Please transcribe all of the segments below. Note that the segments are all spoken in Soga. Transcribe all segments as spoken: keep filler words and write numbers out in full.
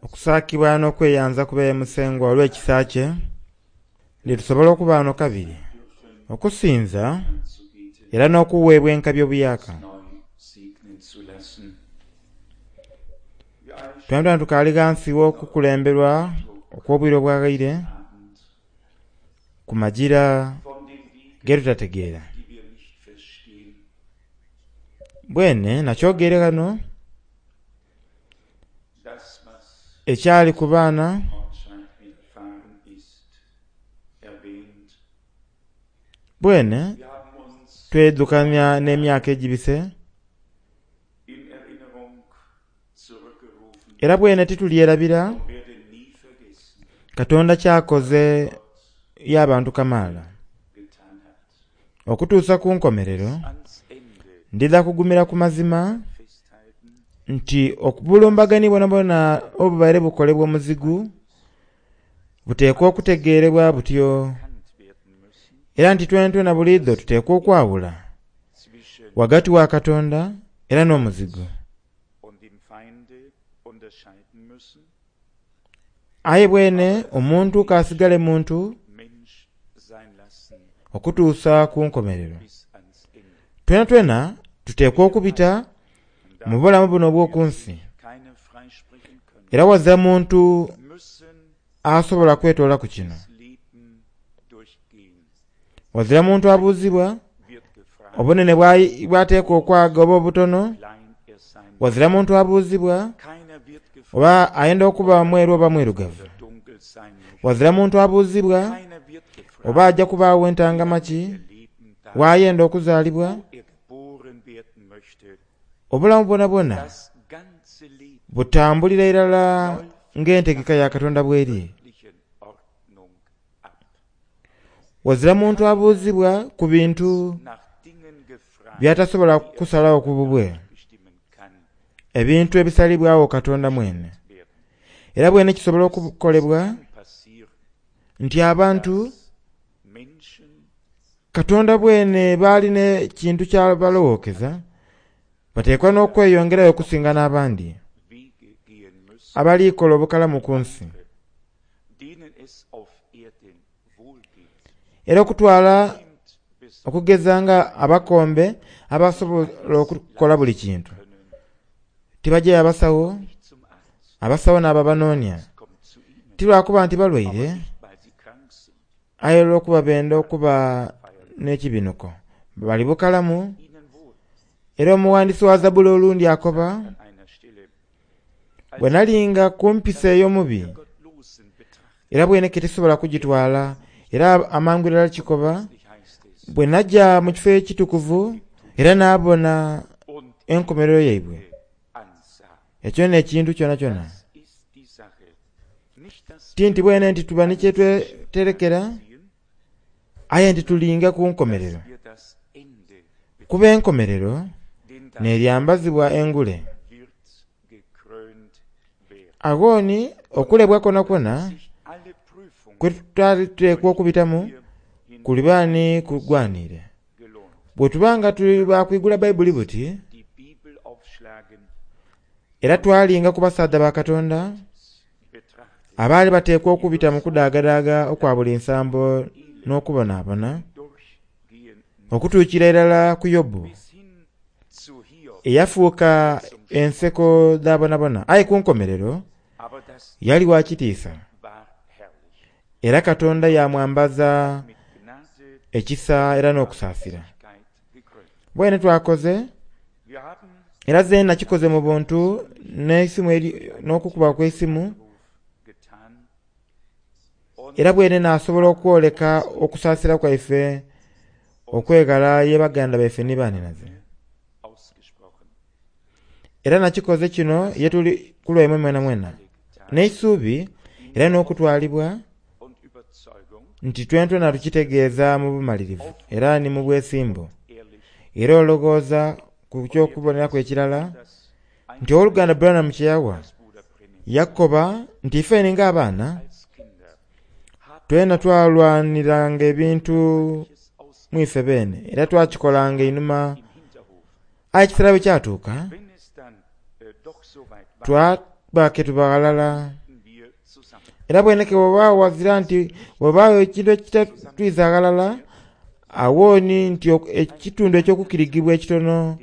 Okusaakibwa n'okweyanza kube Musengwa olw'ekisa kye ndi tusobola okuba wano kabiri okusinza anzubeten, era n'okuweebwa enkabi obuyaka. neu segnen zu lassen. Wir alle Twena tukaali ghansi w'okukulemberwa okw'obwire obwaghaire Abend ku magira von den Wegen, ge tutategeera. die wir nicht verstehen, Bwene nakyogere ghano das, was ekyali ku baana Ortscheid widerfahren ist, erwähnt. bwene Wir haben uns twedukanya n'emyaka egibise in Erinnerung zurückgerufen era bwene titulyerabira und werden nie vergessen, Katonda kyakoze y'abantu kamaala getan hat. okutuusa ku nkomerero. Ans Ende Ndidha kugumira ku mazima festhalten, nti okubulumbagani bwonabwona obubaire bukolebwa omuzigu buteekwa okutegeerebwa butyo erkannt werden müssen era nti twena buliidho tuteekwa okwawula zwischen wagati wa Katonda era n'omuzigu. und dem Feinde unterscheiden müssen, Aye bwene omuntu k'asigale muntu Mensch sein lassen okutuusa ku nkomerero. bis ans Ende. Twena twena tuteekwa okubita mu bulamu buno obw'oku nsi Keine freisprechen können, era wazira muntu müssen asobola kwetoola ku kino. das Leben durchgehen. Wazira muntu abuuzibwa Wird gefragt, obunene bwa- bw'ateekwa okwaga oba obutono. klein er sein Wazira muntu abuuzibwa Keiner wird gefragt, oba ayenda okuba mweru oba mwirugavu. oder dunkel sein möchte. Wazira muntu abuuzibwa Keiner wird gefragt, oba ajja kubaawo entangama ki er leben darf, waayenda okuzaalibwa. wo er geboren werden möchte. Obulamu bwonabwona Das ganze Leben butambulira irala ng'entegeka ya Katonda bw'eri. göttlichen Ordnung ab. Wazira muntu abuuzibwa ku bintu Nach Dingen gefragt, by'atasobola die er kusalawo ku bubwe, bestimmen kann ebintu ebisalibwawo Katonda mwene. werden. Era bwene kisobola okukolebwa Kann passieren, nti abantu dass Menschen Katonda bwene baalina ekintu kyabalowookeza bateekwa n'okweyongerayo okusinga n'abandi Wege gehen müssen, abaliikola obukalamu ku nsi denen es auf Erden wohlgeht. era okutwala Nimmt besonders okugeza nga abakombe abasobola okukola buli kintu können tibajjayo abasawo nicht zum Arzt, abasawo n'ababanoonya kommt zu ihnen, ti lwakuba nti balwaire aber nicht, weil sie krank sind. aye olw'okuba benda okuba n'ekibinuko bali bukalamu. Ihnen wohl Era omuwandiisi wa Zabbuli olundi akoba an einer Stelle, bwe nalinga ku mpisa ey'omubi der Gottlosen betrachtet, era bwene ke tisobola kugitwala era amangu irala kikoba nicht heißt es, bwe najja mu kifo ekitukuvu era n'abona und enkomerero yaibwe ansah. ekyo n'ekintu kyona kyona. Das ist die Sache. Nicht, dass Ti nti bwene nti tuba ni kyetweterekera wir aye nti tulinga ku nkomerero wir das Ende, kuba enkomerero denn das n'eryambazibwa engule. wird gekrönt werden. Agooni okulebwa kwona kwona Sich alle Prüfungen kwe tutwali tuteekwa okubitamu hier hin kulibaani kugwanire. gelohnt. Bwe tuba nga tuli bakwigula Bayibuli buti Die Bibel aufschlagen, era twalinga ku basaadha ba Katonda betrachten, abaali bateekwa okubita mu kudaagadaaga okwa buli nsambo n'okubonaabona durchgehen okutuukira irala ku Yobu bis hin zu Hiob. eyafuuka enseko dh'abonabona aye ku nkomerero Aber das yali wa kitiisa war herrlich. era Katonda yamwambaza Mit Gnade ekisa era n'okusaasira. Barmherzigkeit gekrönt. Bwene twakoze Wir haben era ze nakikoze mu buntu n'esimu eri n'okukuba kw'esimu getan und era bwene naasobola okwoleka okusaasira kwaife okwegala ye baganda baife ni baaninaze. ausgesprochen. Era nakikoze kino ye tuli ku lwaimwe mwena mwena n'eisuubi era n'okutwalibwa Und Überzeugung, nti twentwena tukitegeeza mu bumalirivu era ni mu bwesimbu ehrlich, era olowooza ku kyokuboneraku ekirala dass ein nti owooluganda Branham kye yawa das Bruder Brennan yakoba nti ifeni ng'abaana als Kinder hat twena twalwaniranga ebintu es aus mwife beene era twakikolanga einhuma im Hinterhof. aye ekiseera bwe kyatuuka Wenn es dann äh, doch so weit war, twa tuba ke tuba ghalala. Era bweneke bw'oba wazira nti bw'obaawo ekintu ekitatwiza ghalala, awooni nti ekitundu eky'okukirigibwa ekitono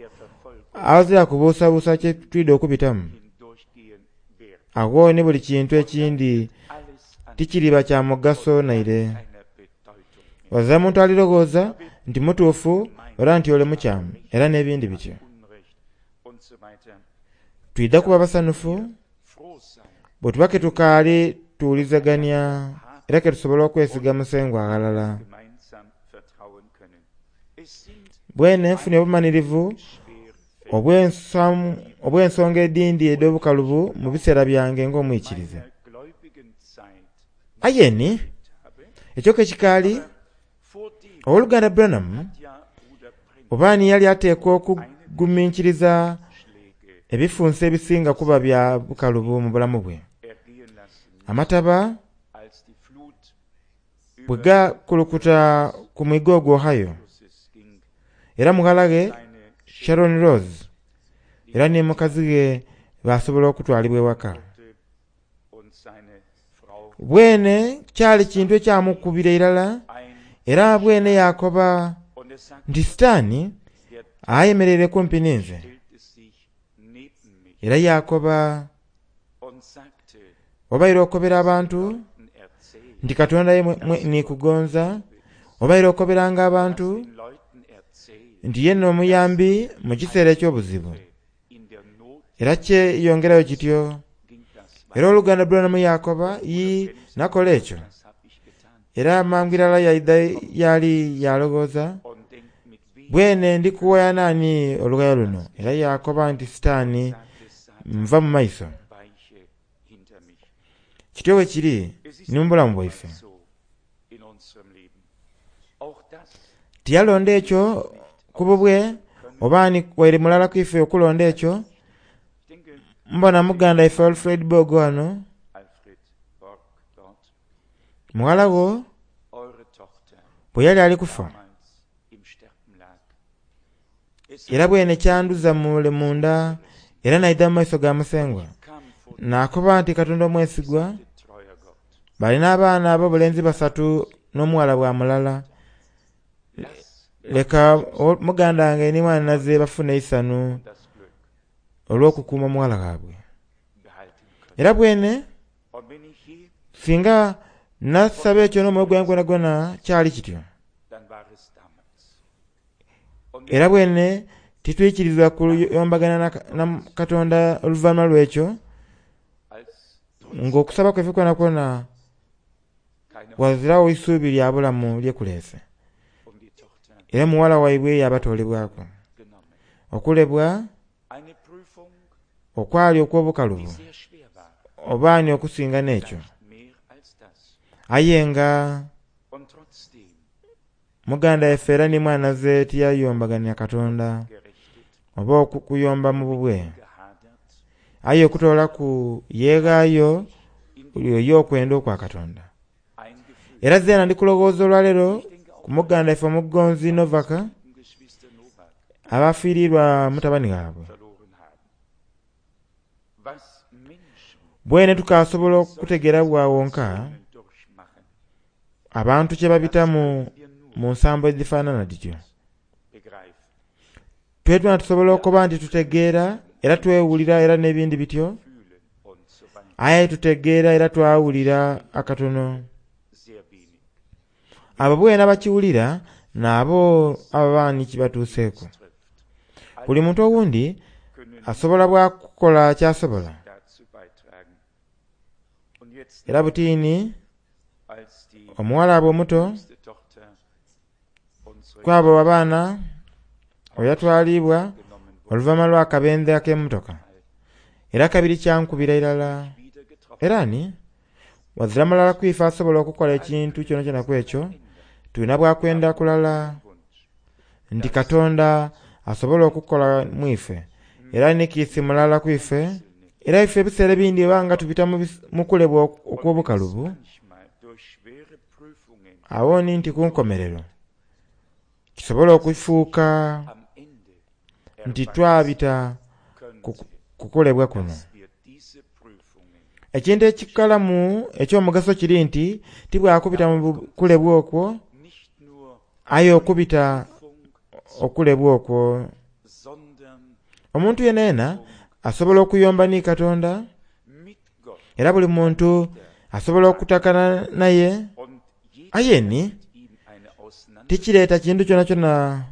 awazira kubuusabuusa kye twida okubitamu. Awooni buli kintu ekindi tikiriba kya mugaso naire. Wazira muntu alirowooza nti mutuufu era nti ole mukyamu era n'ebindi bityo. Twidha kuba basanufu bwe tuba ke tukaali tuwulizaganya era ke tusobola okwesiga Musengwa aghalala. Bwene nfunye obumanirivu obw'ensonga edindi edh'obukalubu mu biseera byange ng'omwikiriza. Aye ni ekyo ke kikaali, owooluganda Branham oba ni yali ateekwa okuguminkiriza ebifunso ebisinga kuba bya bukalubu mu bulamu bwe. Amataba bwe gakulukuta ku mwiga ogwo Ohio, era mughala ghe Sharon Rose era ni mukazi ghe basobola okutwalibwa ewaka. Bwene kyali kintu ekyamukubira irala, era bwene yakoba nti Sitaani ayemereire kumpi ninze. Era yakoba obaire okobera abantu nti Katonda ye nikugonza, obaire okoberanga abantu nti ye n'omuyambi mu kiseera eky'obuzibu. Era kyeyongerayo kityo. Era oluganda Branham yakoba yi nakola ekyo. Era mangu irala yaidha yali yalowooza bwene ndi kuwaya naani olugayo luno. Era yakoba nti Sitaani nva mu maiso. Kityo bwe kiri ni mu bulamu bwaife. Tiyalonda ekyo ku bubwe oba ni waire mulala ku ife okulonda ekyo. Mbona muganda ife Alfred Borg wano, mughala wo bwe yali ali kufa, era bwene kyanduza mule munda era naidha mu maiso ga Musengwa. Nakoba nti Katonda omwesigwa, balina abaana ab'obulenzi basatu n'omuwala bwa mulala. Leka muganda wange ni mwanhinaze bafune eisanu olw'okukuuma omuwala waabwe. Era bwene singa nasaba ekyo n'omwoyo gwange gwonagwona kyali kityo. Era bwene titwikirizibwa kuyombagana na Katonda oluvannyuma lw'ekyo, ng'okusaba kwaife kwonakwona wazirawo isuubi lya bulamu lyekuleese. Era muwala waibwe yabatoolebwaku. Okulebwa okwali okw'obukalubu oba ni okusinga n'ekyo. Aye nga muganda waffe era ni mwanhinaze tiyayombaganya Katonda oba okuyomba mu bubwe. Aye okutoolaku yeeghaayo oyo okwenda okwa Katonda. Era zeena ndi kulowooza olwaleero ku muganda waffe omugonzi Novaka abafiirirwa mutabani waabwe. Bwene tukasobola okutegeera bwawonka abantu kye babitamu mu nsambo edhifaanana dhityo. Twetuna tusobola okuba nti tutegeera era twewulira era n'ebindi bityo, aye tutegeera era twawulira akatono. Abo bwene abakiwulira n'abo ababa kibatuuseeku. Buli muntu owundi asobola bwakukola kyasobola. Era butiini omuwala abwe omuto kwabo abaana oyatwalibwa oluvannyuma lw'akabenje ak'emmotoka. Era kabiri kyankubira irala. Era ni wazira mulala ku ife asobola okukola ekintu kyonakyona ku ekyo, tulina bwakwenda kulala nti Katonda asobola okukola mu ife. Era ni kiisi mulala ku ife, era ife ebiseera ebindi oba nga tubita mu kulebwa okw'obukalubu, awo ni nti ku nkomerero kisobola okufuuka nti twabita ku kulebwa kuno. Ekintu ekikalamu eky'omugaso kiri nti tibwakubita mu kulebwa okwo, Nicht nur aye okubita Prüfung, okulebwa okwo. sondern Omuntu yenena asobola okuyomba ni Katonda, mit Gott era buli muntu asobola okutakana naye, und jeder aye ni mit ihm eine Auseinandersetzung tikireeta kintu kyona kyona.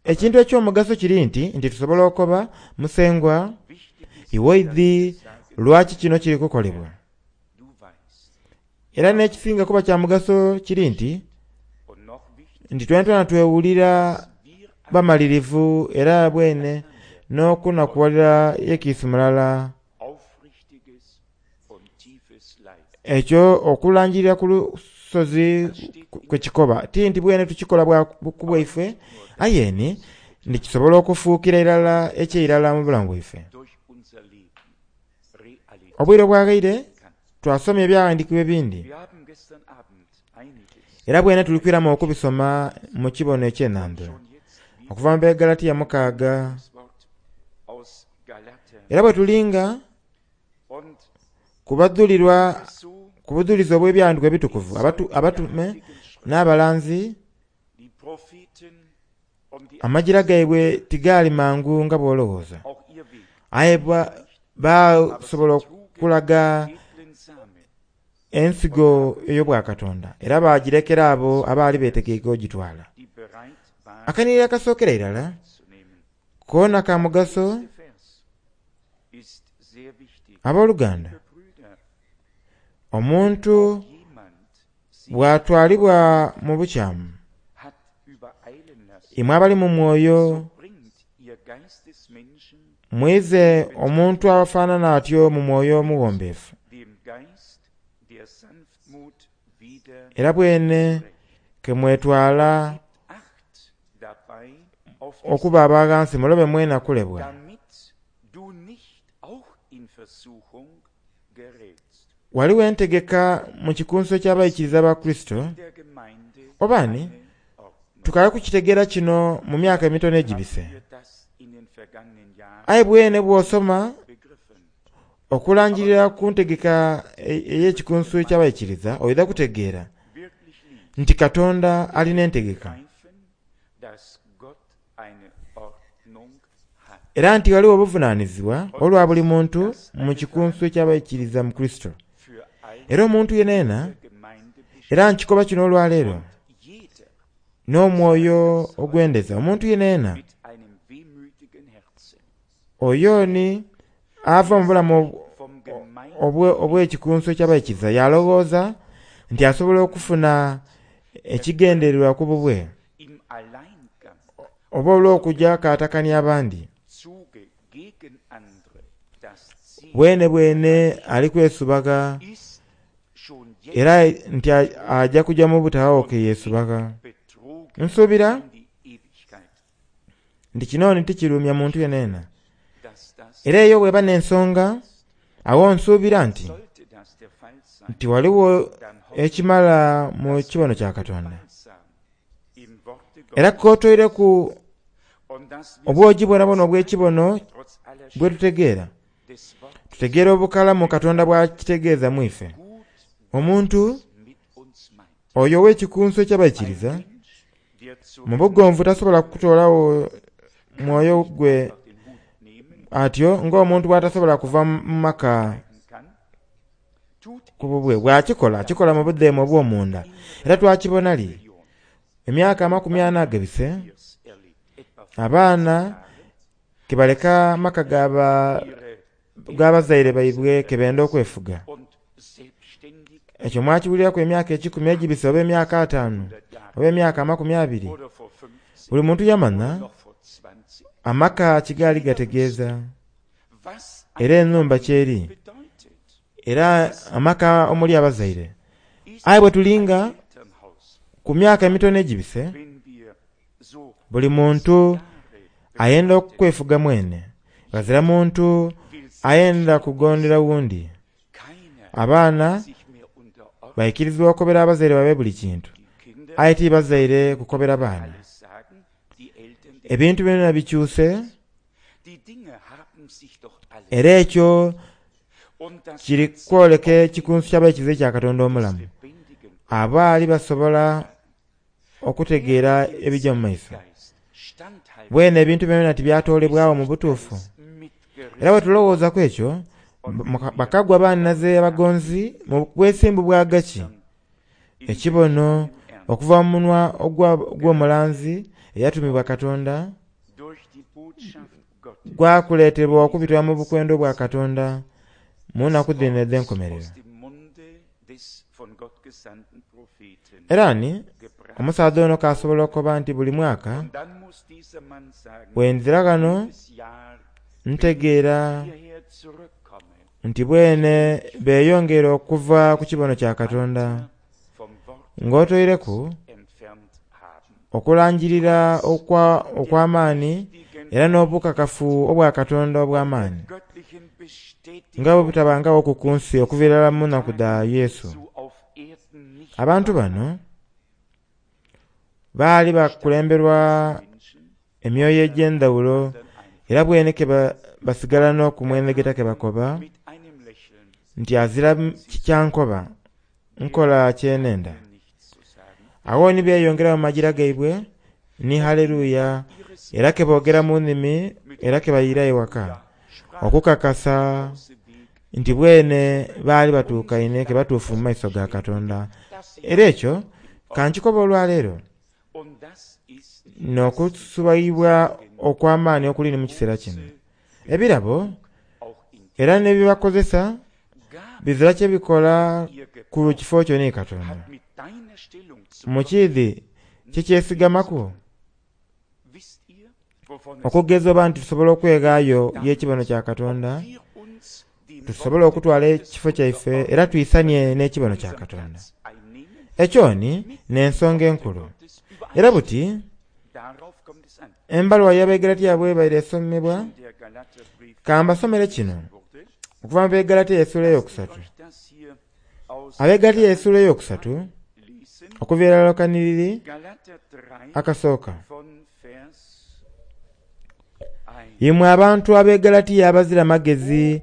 Ekintu eky'omugaso kiri nti nti tusobola okuba musengwa wichtig ist, iwe oidhi lwaki kino kiri kukolebwa. du weißt. Era n'ekisinga kuba kya mugaso kiri nti Und noch wichtiger, nti twena twewulira wir bamalirivu era bwene n'okunakuwalira yekiisi mulala. aufrichtiges und tiefes Leid. Ekyo okulangirira ku lusozi kwe kikoba ti nti bwene tukikola bwa ku bwaife, aye ni ndikisobola okufuukira irala ekyeirala mu bulamu bwaife. Durch unser Leben Realität Obwire obwaghaire kann. twasomye ebyawandiikibwa ebindi, Wir haben gestern Abend einiges era bwene tulikwiramu okubisoma mu kibono eky'enandula schon jetzt wieder okuva mu Begalatiya mukaaga. das Wort aus Galater Era bwe tulinga und kubadhulirwa so ku budhulizi obw'ebyawandiikibwa ebitukuvu abatu, abatume n'abalanzi die Propheten und die amajira gaibwe tigaali mangu nga bw'olowooza, auch ihr Weg aye ba- basobola okulaga edlen Samen ensigo ey'obwakatonda era bagirekera abo abaali beetegeike ogitwala. die bereit waren Akanirira akasookera irala zu nehmen. koona ka mugaso. Der Vers ist sehr wichtig. Abooluganda, Liebe Brüder, omuntu jemand sich bw'atwalibwa mu bukyamu, hat übereilen lassen, imwe abali mu mwoyo so bringt ihr Geistesmenschen mwize omuntu afaanana atyo mu mwoyo omuwombeefu, dem Geist der Sanftmut wieder era bwene zurecht. ke mwetwala Acht dabei auf dich okuba abaghansi mulobe mwena kulebwa. damit du nicht auch in Versuchung gerätst. Waliwo entegeka mu kikunso ky'abayikiriza ba Kristo, In der Gemeinde oba ni eine Ordnung. tukale kukitegeera kino mu myaka emitono egibise. Haben wir das in den vergangenen Jahren Aye bwene bw'osoma begriffen? okulangirira ku ntegeka e- ey'ekikunsu ky'abayikiriza oidha kutegeera Wirklich lieb nti Katonda alina entegeka, begreifen, dass Gott eine Ordnung hat. era nti waliwo obuvunaanyizibwa olwa buli muntu mu kikunsu ky'abayikiriza mu Kristo. Für alle Era omuntu yeneena, der Gemeinde besteht. era nkikoba kino olwaleero Jeder n'omwoyo ogwendeza, omuntu yeneena mit einem wehmütigen Herzen oyo ni ava mu bulamu ob- vom Gemeinde obwe- obw'ekikunsu eky'abayikiriza yalowooza nti asobola okufuna ekigendererwa ku bubwe im Alleingang oba olw'okujja kaatakanya abandi. Zuge gegen andere das Ziel Bwene bwene ali kwesubaga ist schon jetzt era nti a- ajja kujja mu butawo ke yeesubaga. betrogen Nsuubira in die Ewigkeit, nti kino ni tikirumya muntu yeneena, dass das era eyo bw'eba n'ensonga awo nsuubira nti sollte das der Fall sein, nti waliwo dann hoffe ekimala mu kibono kya Katonda. Balsam im Worte Era Gottes kootoireku und dass wir obwogi bwonabwona obw'ekibono trotz aller bwe tutegeera, des Wortes tutegeera obukalamu Katonda bw'akitegeeza mu ife. gut Omuntu mit uns meint. oyo ow'ekikunsu eky'abayikiriza Ein Mensch, der zu mu bugonvu tasobola kutoolawo mwoyo gwe den Hut nehmen atyo ng'omuntu bw'atasobola kuva mu maka kann, tut ku bubwe. Bw'akikola akikola mu buddeemu obw'omunda, era twakibona li Million emyaka amakumi ana agabise wir's erlebt, etwa abaana ke baleka maka g'aba- ihre g'abazaire baibwe ke benda okwefuga. und selbstständig Ekyo mwakiwuliraku emyaka ekikumi egibise oba emyaka ataano oba emyaka amakumi abiri. oder vor fünfzehn Buli muntu yamanya noch vor zwanzig, amaka kigaali gategeeza was era ennumba kyeri, bedeutet, era amaka omuli abazaire. ist Aye bwe tulinga Elternhaus, ku myaka emitono egibise, wenn wir so buli muntu Jahre ayenda okwefuga mwene, ghazira muntu will ayenda kugondera wundi. keiner Abaana sich mehr unterordnen. bayikirizibwa okobera abazaire babe buli kintu, Die Kinder aye ti bazaire kukobera baana. alles sagen, die Eltern den Ebintu byonna bikyuse, Die Dinge haben sich doch alle era ekyo Kiri kwoleka ekikunsu ky'abaikiriza ekya Katonda omulamu. Abaali basobola okutegeera ebijja mu maiso. Bwene ebintu byona tibyatoolebwawo mu butuufu. Era bwe tulowooza ku ekyo, bakagwa bannaze abagonzi mu bwesimbu bwa gaki. Ekibono okuva mu munwa ogw'omulanzi eyatumibwa Katonda gwakuleetebwa okubitwa mu bukwendo bwa Katonda mu nnaku dhino edh'enkomerero. Era ni omusaadha ono kasobola okukoba nti buli mwaka bwenzira ghano ntegeera nti bwene beeyongera okuva ku kibono kya Katonda ng'otoireku okulangirira okw'amaani era n'obukakafu obwa Katonda obw'amaani nga bwe butabangawo ku nsi okuviira ddala mu nnaku dha Yesu. Abantu bano baali bakulemberwa emyoyo egy'endhawulo era bwene ke basigala n'okumwenegeta ke bakoba nti azira kyankoba nkola kyenenda. Awo ni beeyongera mu magira gaibwe ni haleluya era ke boogera mu nnimi era ke bayira ewaka okukakasa nti bwene baali batuukaine ke batuufu mu maiso ga Katonda. Era ekyo kankikoba olwaleero n'okusubaibwa okw'amaani okuli mu kiseera kino. Ebirabo era n'ebibakozesa bizira kye bikola ku kifo kyo ni Katonda. Mu kiidhi kikyesigamaku okugeza oba nti tusobola okweghaayo y'ekibono kya Katonda, tusobola okutwala ekifo kyaife era twisanie n'ekibono kya Katonda. Ekyo ni n'ensonga enkulu. Era buti embaluwa y'Abegalatiya bw'ebaire esomebwa, kambasomere kino okuva mu Begalatiya essuula eyokusatu. Abegalatiya essuula eyokusatu okuviira ddala kaniriri akasooka. Imwe abantu ab'e Galatiya abazira magezi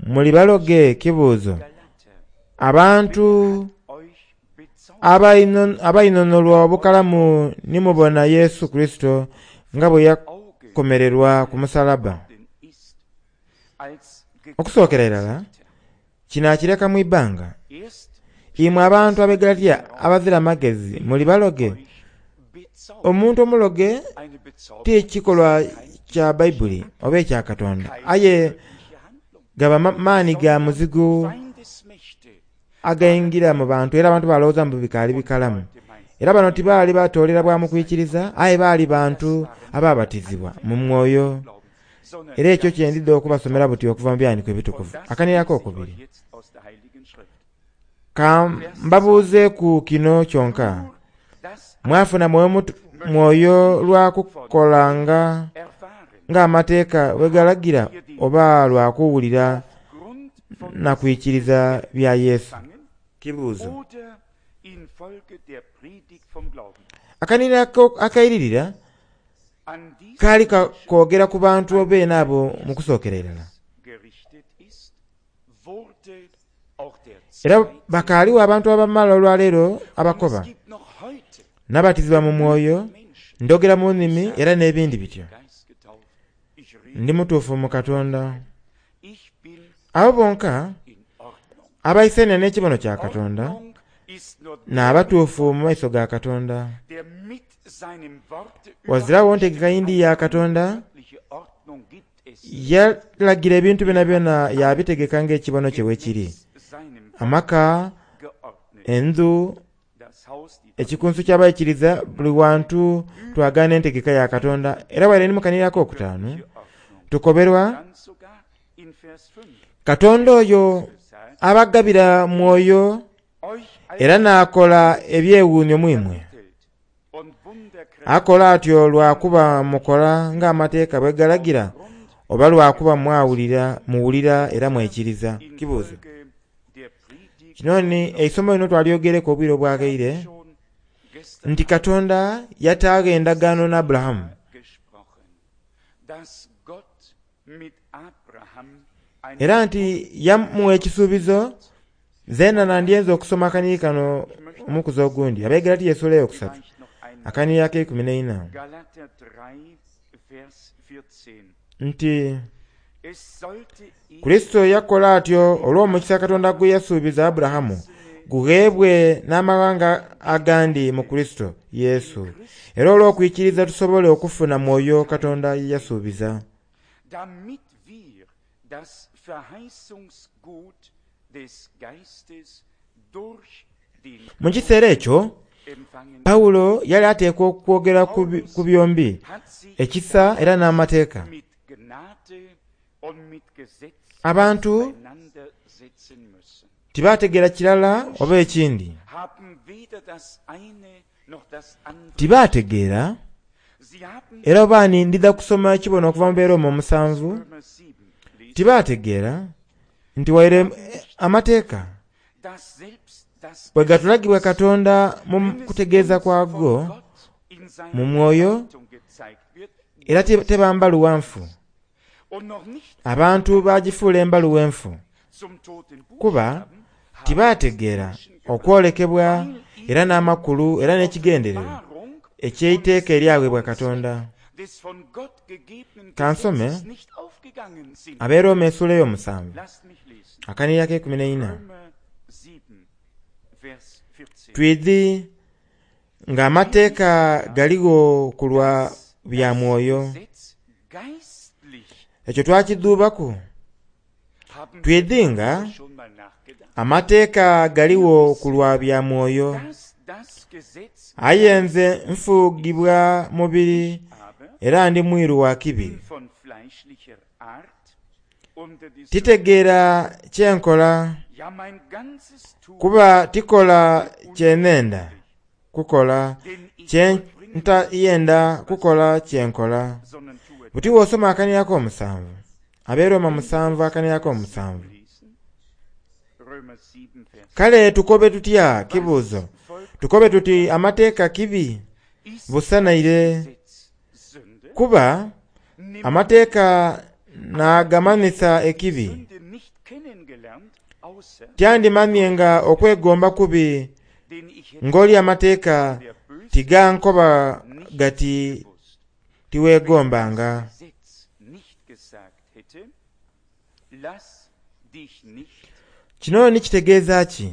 muli baloge kibuuzo. Abantu abainhonholwa obukalamu ni mubona Yesu Kurisito nga bwe yakomererwa ku musalaba. Okusookera irala kino akireka mu ibbanga. Imwe abantu ab'e Galatiya abazira magezi muli baloge. Omuntu omuloge ti kikolwa kya Baibuli oba ekya Katonda, aye gaba maani ga muzigu againgira mu bantu era abantu balowooza mbu bikaali bikalamu. Era bano tibaali batoolera bwa mu kwikiriza, aye baali bantu ababatizibwa mu mwoyo. Era ekyo kyendidde okubasomera buti okuva mu byandiiko ebitukuvu. Akanirako okubiri. Ka mbabuuze ku kino kyonka. Mwafuna mwoyo lwa kukolanga ng'amateeka bwe galagira oba lwa kuwulira na kwikiriza bya Yesu? Kibuuzo. Akanirako akairirira kaali kwogera ku bantu obeene abo mu kusookera irala. Era bakaaliwo abantu abamala olwaleero abakoba nabatizibwa mu mwoyo, ndogera mu nnimi era n'ebindi bityo. Ndi mutuufu mu Katonda. Abo bonka abaisania n'ekibono kya Katonda n'abatuufu mu maiso ga Katonda. Wazirawo ntegeka yindi ya Katonda yalagira ebintu byona byona yabitegeka ng'ekibono kye bwe kiri. Amaka, endhu, ekikunsu ky'abaikiriza buli wantu twagaana entegeka ya Katonda. Era bwaire ni mukanirako okutaano tukoberwa Katonda oyo abagabira mwoyo era n'akola ebyewuunyo mwimwe. Akola atyo lwakuba mukola ng'amateeka bwe galagira oba lwakuba mwawulira muwulira era mwekiriza. Kibuuzo. Kino ni eisomo lino twalyogereku obwire obwaghaire nti Katonda yataagho endagaano ne Aburahamu. Era nti yamuwa ekisuubizo zeena nandyenze okusoma akaniri kano omukuzi ogundi. Abegalatiya essuula eyokusatu akaniri ak'eikumi n'eina Galater drei, Vers vierzehn. nti Es sollte ihm Kristo yakola atyo olw'omukisa Katonda gwe yasuubiza Aburahamu gugheebwe n'amawanga agandi mu Kristo Yesu, era olw'okwikiriza tusobole okufuna mwoyo Katonda ye yasuubiza. damit wir das Verheißungsgut des Geistes durch den Mu kiseera ekyo empfangen. Pawulo yali ateekwa okwogera ku bi- ku byombi, Hat sich ekisa era n'amateeka. mit Gnade und mit Gesetz Abantu auseinandersetzen müssen. tibaategeera kirala oba ekindi, Haben weder das eine noch das andere. tibaategeera Sie haben era obaani ndidha kusoma ekibono okuva mu Beeroma omusanvu, Römer sieben lesen, tibaategeera nti waire amateeka dass selbst das bwe gatulagibwa Katonda mu kutegeeza kwago Gott in seiner mu mwoyo Bedeutung gezeigt wird era te- teba mbaluwa nfu. und noch nicht Abantu baagifuula embaluwa enfu zum toten kuba Buchstaben haben tibaategeera okwolekebwa era n'amakulu era n'ekigendererwa Offenbarung eky'eiteeka eryaweebwa Katonda. des von Gott gegebenen Kansome, Gesetzes nicht aufgegangen sind. Abeeroma essuula ey'omusanvu Lasst mich lesen. akaniri ak'eikumi n'eina Römer sieben, Vers vierzehn. twidhi ng'amateeka galigho ku lwa bya mwoyo. Gesetz geistlich Ekyo twakidhuubaku haben twidhi nga wir schon mal nachgedacht, amateeka galigho ku lwa bya mwoyo, dass das Gesetz aye nze nfuugibwa mubiri aber era ndi mwiru wa kibi. bin von fleischlicher Art unter die Sünde. Titegeera kye nkola Ja, mein ganzes Tun, kuba tikola kye nenda kukola, denn ich kye vollbringe ntayenda kukola kye nkola. sondern tue Buti bw'osoma akaniri ak'omusanvu, Abeeroma musanvu akaniri ak'omusanvu. lesen. Römer sieben, Vers Kale tukobe tutya kibuuzo? Folgt Tukobe tuti amateeka kibi ist busanaire Gesetz Sünde? kuba Nimm amateeka n'agamanisa ekibi. Sünde nicht kennengelernt, außer Tyandimamye nga okwegomba kubi den ich hätte ng'oli amateeka der Böse tigankoba nicht gati gewusst. tiweegombanga. Das Gesetz nicht gesagt hätte, lass dich nicht. Kino ni kitegeeza ki?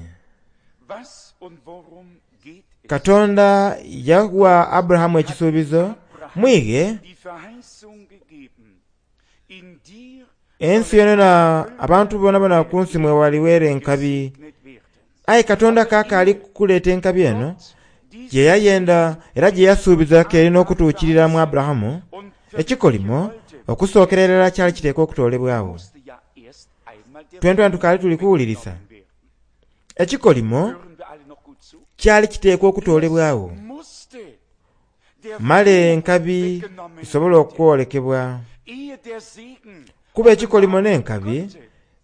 Was und worum geht es? Katonda yawa Aburahamu ekisuubizo, mwighe Die Verheißung gegeben. In dir ensi yonayona abantu bonabona ku nsi mwe waliweera enkabi. gesegnet werden. Aye Katonda kaakaali kuleeta enkabi eno Gott, dies gye yayenda era gye yasuubiza ke erina okutuukirira mu Aburahamu, und ekikolimo wollte, okusookera irala kyali kiteekwa okutoolebwawo. musste ja erst einmal der Twentwana tukaali tuli kuwulirisa. weggenommen werden. Ekikolimo Hören wir alle noch gut zu? kyali kiteekwa okutoolebwawo Musste der male Fluch enkabi weggenommen esobole okwolekebwa. ehe der Segen Kuba ekikolimo n'enkabi, konnte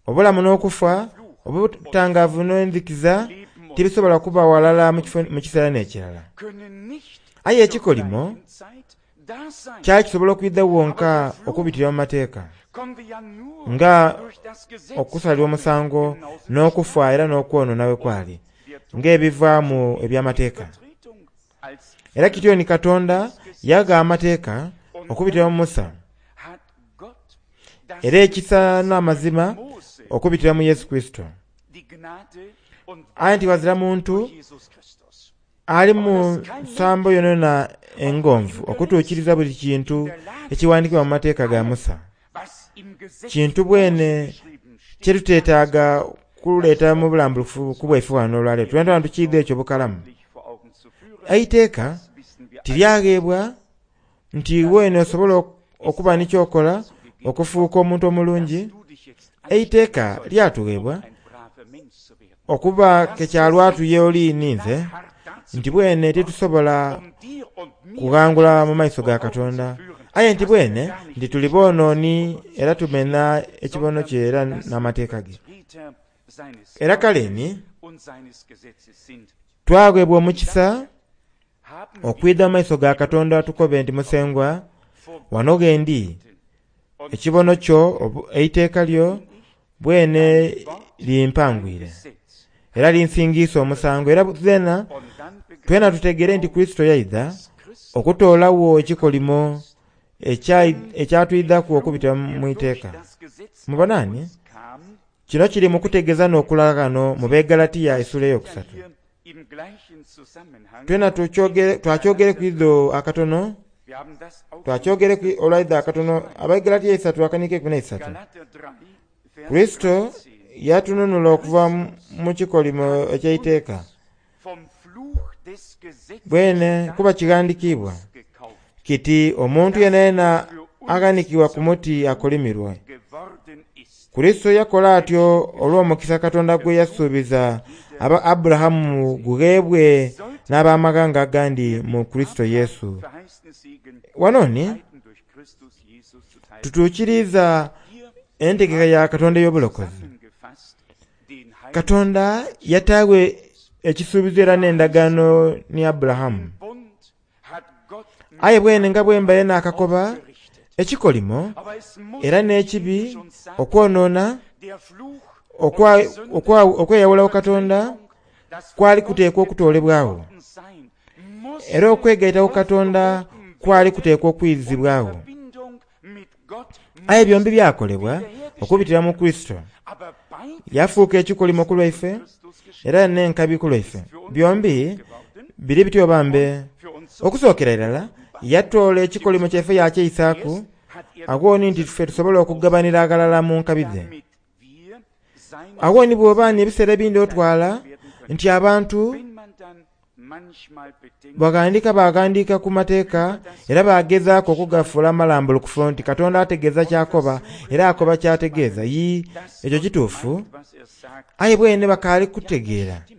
obulamu n'okufa, obutangaavu n'enzikiza tibisobola kuba walala mu kifo- mu kiseera n'ekirala. können nicht Aye zur ekikolimo gleichen Zeit da sein. kyali kisobola okwidha wonka okubitira mu mateeka, Konnte ja nur nga durch das Gesetz okusalirwa omusango kommen, genauso n'okufa era n'okwonoona bwe kwali, wir tun ng'ebivaamu eby'amateeka. Übertretung als Era kityo ni Katonda yaga amateeka okubitira mu Musa, hat Gott das era ekisa n'amazima Mose okubitira mu Yesu Kristo. die Gnade und Aye nti wazira muntu durch Jesus Christus. ali mu nsambo yonayona engonvu okutuukiriza buli kintu ekiwandiikibwa mu mateeka ga Musa. Was im Gesetz Kintu bwene geschrieben steht, kye tuteetaaga kuleeta mu bulambulukufu ku bwaife wano olwaleero. Twena tukiidha ekyo bukalamu. deutlich vor Augen zu führen, Eiteeka das wissen wir alle. tiryageebwa nti weene osobola ok- okuba ni ky'okola okufuuka omuntu omulungi. Du dich jetzt Eiteeka anstrengen sollst, lyatuweebwa um ein braver Mensch zu werden. okuba ke kyalwatu y'oli ninze Hart dazu, nti bwene tetusobola um dir und mir kughangula mu maiso ga Katonda. Aye nti bwene nti tuli boonooni era tumena ekibono kye era n'amateeka ge. Treter seines Era kale ni und seines Gesetzes sind. twaweebwa omukisa Haben okwidha mu maiso ga Katonda tukobe nti Musengwa vor wano ghe ndi und ekibono kyo obu- eiteeka lyo Bwene Dein Wort, dein limpangwire Gesetz. era linsingiisa omusango. Era zeena Und dann twena begreifen tutegere wir nti auch, Kristo yaidha dass Christus okutoolawo ekikolimo ekya- ekyatwidhaku der okubita mu durch iteeka. das Gesetz auf Mubonani uns kam, kino kiri mu kutegeeza n'okulaga ghano mu Begalatiya essula ja eyokusatu. hier im gleichen Zusammenhang Twena tukyogere- twakyogere ku idho akatono, Wir haben das auch schon twakyogere ku olwaidho akatono, Abagalatiya isatu akaniika ekumi n'eisatu. Galater drei, Vers Kristo dreizehn. yatununula okuva mu- mu kikolimo eky'eiteeka. Vom Fluch des Gesetzes Bwene kuba kighandikiibwa gekauft kiti omuntu yenayena aghanikibwa ku muti akolimirwe. geworden ist. Kristo yakola atyo olw'omukisa Katonda gwe yasuubiza aba Aburahamu gugheebwe n'abamaghanga agandi mu Kristo Yesu. Verheißene Segen Wano ni Heiden durch Christus Jesus zuteil. tutuukiriza Hier entegeka ya Katonda ey'obulokozi. zusammengefasst den Heiligen Katonda yataawe ekisuubizo era n'endagaano ni Aburahamu. Bund hat Gott mit Aye bwene nga bwe mbaire naakakoba, aufgerichtet. ekikolimo Aber es muss, era wie n'ekibi, ich schon sagte, okwonoona, der Fluch okwa- und die Sünde, okwa- okweyawulawo Katonda das kwali von Gott kuteekwa okutoolebwawo. geworden sein, musste Era okwegaita ku Katonda aufgehoben kwali werden kuteekwa und die okwizibwawo. Verbindung mit Gott Aye byombi musste byakolebwa wiederhergestellt okubitira mu Kristo. Aber beides Yafuuka ekikolimo ku lwaife Christus geschehen. era n'enkabi ku lwaife. Für uns Byombi geworden, biri bityo bambe. für uns so Okusookera irala yatoola ekikolimo kyaife yakyeyisaaku Erst hat er agho ni nti ffe tusobole okugabanira aghalala mu nkabi dhe. damit wir seine Agho ni bw'oba ni ebiseera ebindi otwala werden können. nti abantu Wenn man dann manchmal bedenkt, baghandika baghandika ku mateeka era bagezaaku okugafuula amalambulukufu nti Katonda ategeeza ky'akoba era akoba ky'ategeeza. Yi dass ekyo Gott kituufu, meint, was er sagt, aye bwene bakaali kutegeera stimmt.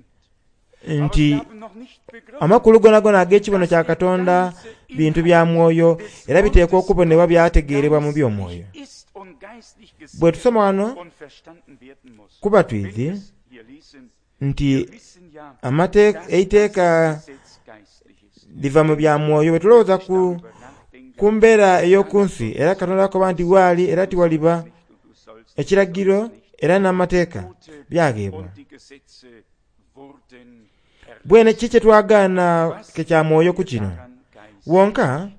Aber nti sie haben noch nicht begriffen, amakulu gonagona ag'ekibono kya Katonda bintu bya mwoyo era biteekwa okubonebwa byategeerebwa mu by'omwoyo. ist und geistlich gesehen Bwe tusoma wano und verstanden werden muss. kuba Wenn twizi wir es hier lesen, nti wir wissen ja, amateeka dass das eiteeka Gesetz geistlich ist. liva mu bya mwoyo. Bwe tulowooza ku, Darüber nachdenken, ku mbeera ey'oku nsi era Katonda akoba nti waali era tiwaliba nicht und du sollst ekiragiro era n'amateeka Gebote byageebwa. und die Gesetze wurden erlassen. Bwene ki kye twagaana ke kya mwoyo ku kino? Daran geistlich. Wonka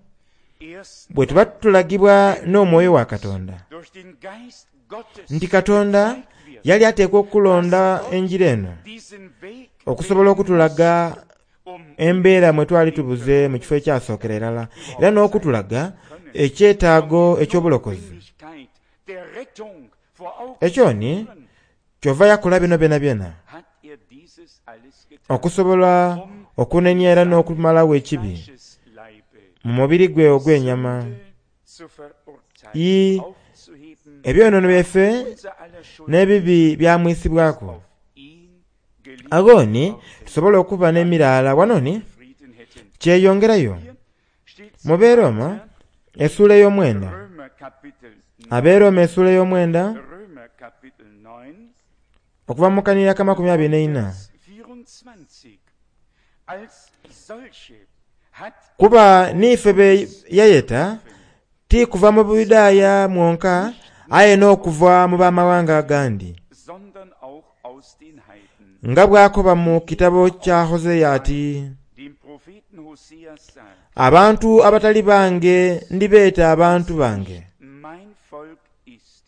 Erst bwe tuba tulagibwa n'omwoyo wa Katonda durch den Geist Gottes nti Katonda gezeigt wird, yali ateekwa okulonda enjira eno diesen Weg okusobola okutulaga um embeera mwe twali tubuze mu kifo ekyasookera irala era n'okutulaga ekyetaago eky'obulokozi. Notwendigkeit der Rettung vor Augen Ekyo ni zu führen, kyova yakola bino byona byona hat er dieses alles getan, okusobola um okunenya era n'okumalawo ekibi Fleischesleibe mu mubiri gwe ogw'ennyama. Sünde zu verurteilen, Yi aufzuheben, ebyonoono byaife unser aller Schuld n'ebibi byamwisibwaku. auf ihn gelegt Agho ni worden, tusobole okuba n'emiraala wano ni Frieden hätten. kyeyongerayo. Hier steht Mu Beeroma essuula ey'omwenda, Römer Kapitel neun, Abeeroma essuula ey'omwenda Römer Kapitel neun, okuva mu kanira k'amakumi abiri n'eina. Vers vierundzwanzig. Als solche hat Kuba n'ife be yayeta ti kuva mu Buyudaaya mwonka aye n'okuva mu b'amawanga agandi sondern auch aus den Heiden. nga bw'akoba mu kitabo kya Hoseya ati Dem Propheten Hoseas sagt, abantu abatali bange ndibeeta abantu bange mein Volk ist,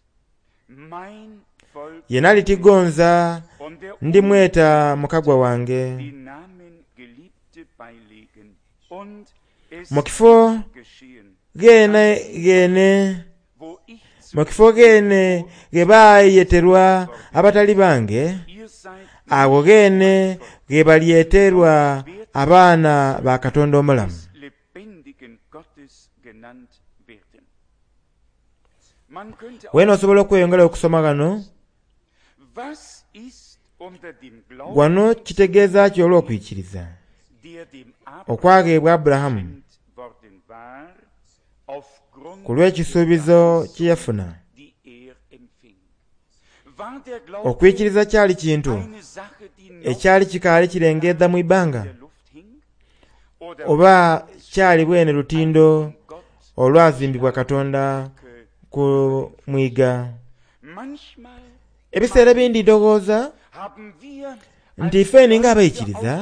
mein Volk ye nali tigonza und der ndimweta mukagwa wange. den Namen Geliebte beilegen. Und es Mu kifo geschehen, gene gene wo ich zu mu kifo gene ge baayeterwa abatali bange ihr seid awo gene ge balyeterwa abaana ba Katonda omulamu. des lebendigen Gottes genannt werden. Man könnte auch Weena osobola okweyongera okusoma ghano was ist unter dem Glauben, wano kitegeeza ki olw'okwikiriza der dem Abraham okwagheebwa Aburahamu geschenkt worden war, aufgrund ku lw'ekisuubizo kye yafuna. die er empfing? War der Glaube Okwikiriza kyali kintu eine Sache, die noch ekyali kikaali kirengedda mu ibbanga in der Luft hing? Oder oba kyali bwene lutindo Gott olwazimbibwa Katonda ku mwiga. manchmal Ebiseera ebindi ndowooza nti ifeni ng'abaikiriza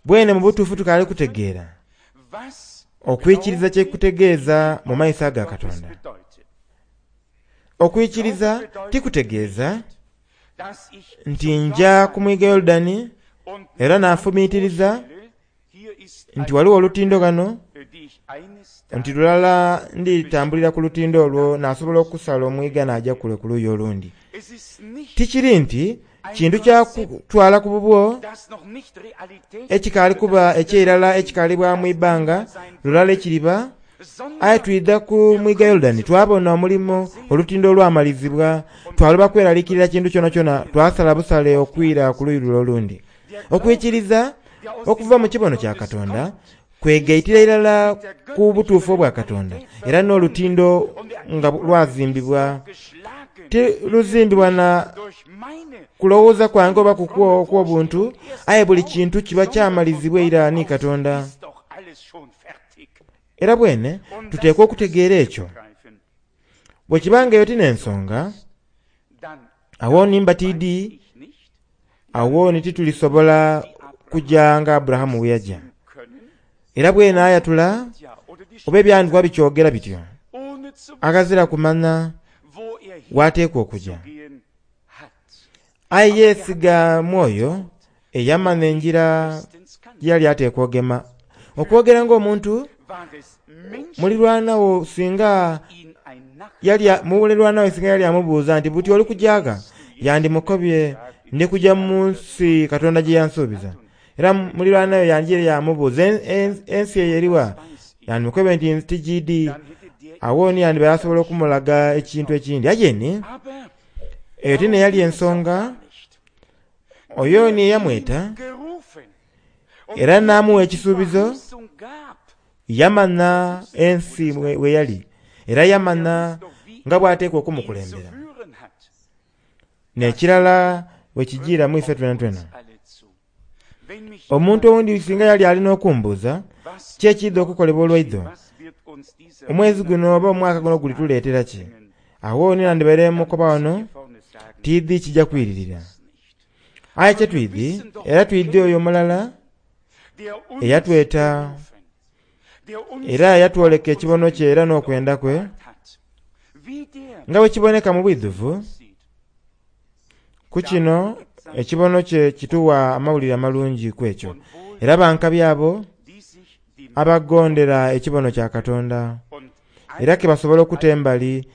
bwene mu butuufu tukaali kutegeera okwikiriza kyekutegeeza mu maiso aga Katonda. Okwikiriza tikutegeeza nti nja ku mwiga Yoludani era naafumiitiriza nti waliwo olutindo ghano, nti lulala nditambulira ku lutindo olwo nasobola okusala omwiga naja kule ku luuyi olundi. Tikiri nti kintu kya kutwala ku bubwo ekikaali kuba ekyeirala ekikaalibwa mu ibanga lulala ekiriba, aye twidha ku mwiga Yoludani twabona omulimo olutindo olwamalizibwa, twaloba kweraliikirira kintu kyonakyona, twasala busale okwira ku luuyi lule olundi. Okwikiriza okuva mu kibono kya Katonda kwegaitira irala ku butuufu obwa Katonda, era n'olutindo nga lwazimbibwa tiluzimbibwa na kulowooza kwange oba kukwo okw'obuntu, aye buli kintu kiba kyamalizibwa eira ni Katonda. Era bwene tuteekwa okutegeera ekyo. Bwe kibanga eyo tin'ensonga, awo nimba tiidi, awo ni titulisobola kujja nga Aburahamu bwe yajja. Era bwene ayatula oba ebyandikwa bikyogera bityo, aghazira kumanya wateekwa okujja. Aye yeesiga mwoyo eyamanya enjira gyeyali ateekwa ogema. Okwogera ng'omuntu mulirwanawo singa yali mulirwanawo singa yali amubuuza nti buti oli kujaga, yandimukobye ndi kujja mu nsi Katonda gye yansuubiza. Era mulirwanawo yanjire yamubuuza ensi eyo eriwa, yandimukobye nti tigiidi. Awo ni yandiba yasobola okumulaga ekintu ekindi. Aye eyo tine yali ensonga, oyo ni eyamweta era n'amuwa ekisuubizo, yamanya ensi we yali, era yamanya nga bw'ateekwa okumukulembera. N'ekirala bwe kijiira mu ife twenatwena. Omuntu owundi singa yali alina okumbuuza ki ekidha okukolebwa olwaidho, omwezi guno oba omwaka guno gulituleetera ki, awo ni nandibaire mukoba wano tiidhi kijja kwiririra. Aye kye twidhi, era twidhi oyo omulala eyatweta era yatwoleka ekibono kye era n'okwenda kwe, nga bwe kiboneka mu bwidhuvu ku kino ekibono kye kituwa amawulire amalungi ku ekyo. Era bankabi abo abagondera ekibono kya Katonda, era ke basobola okuta embali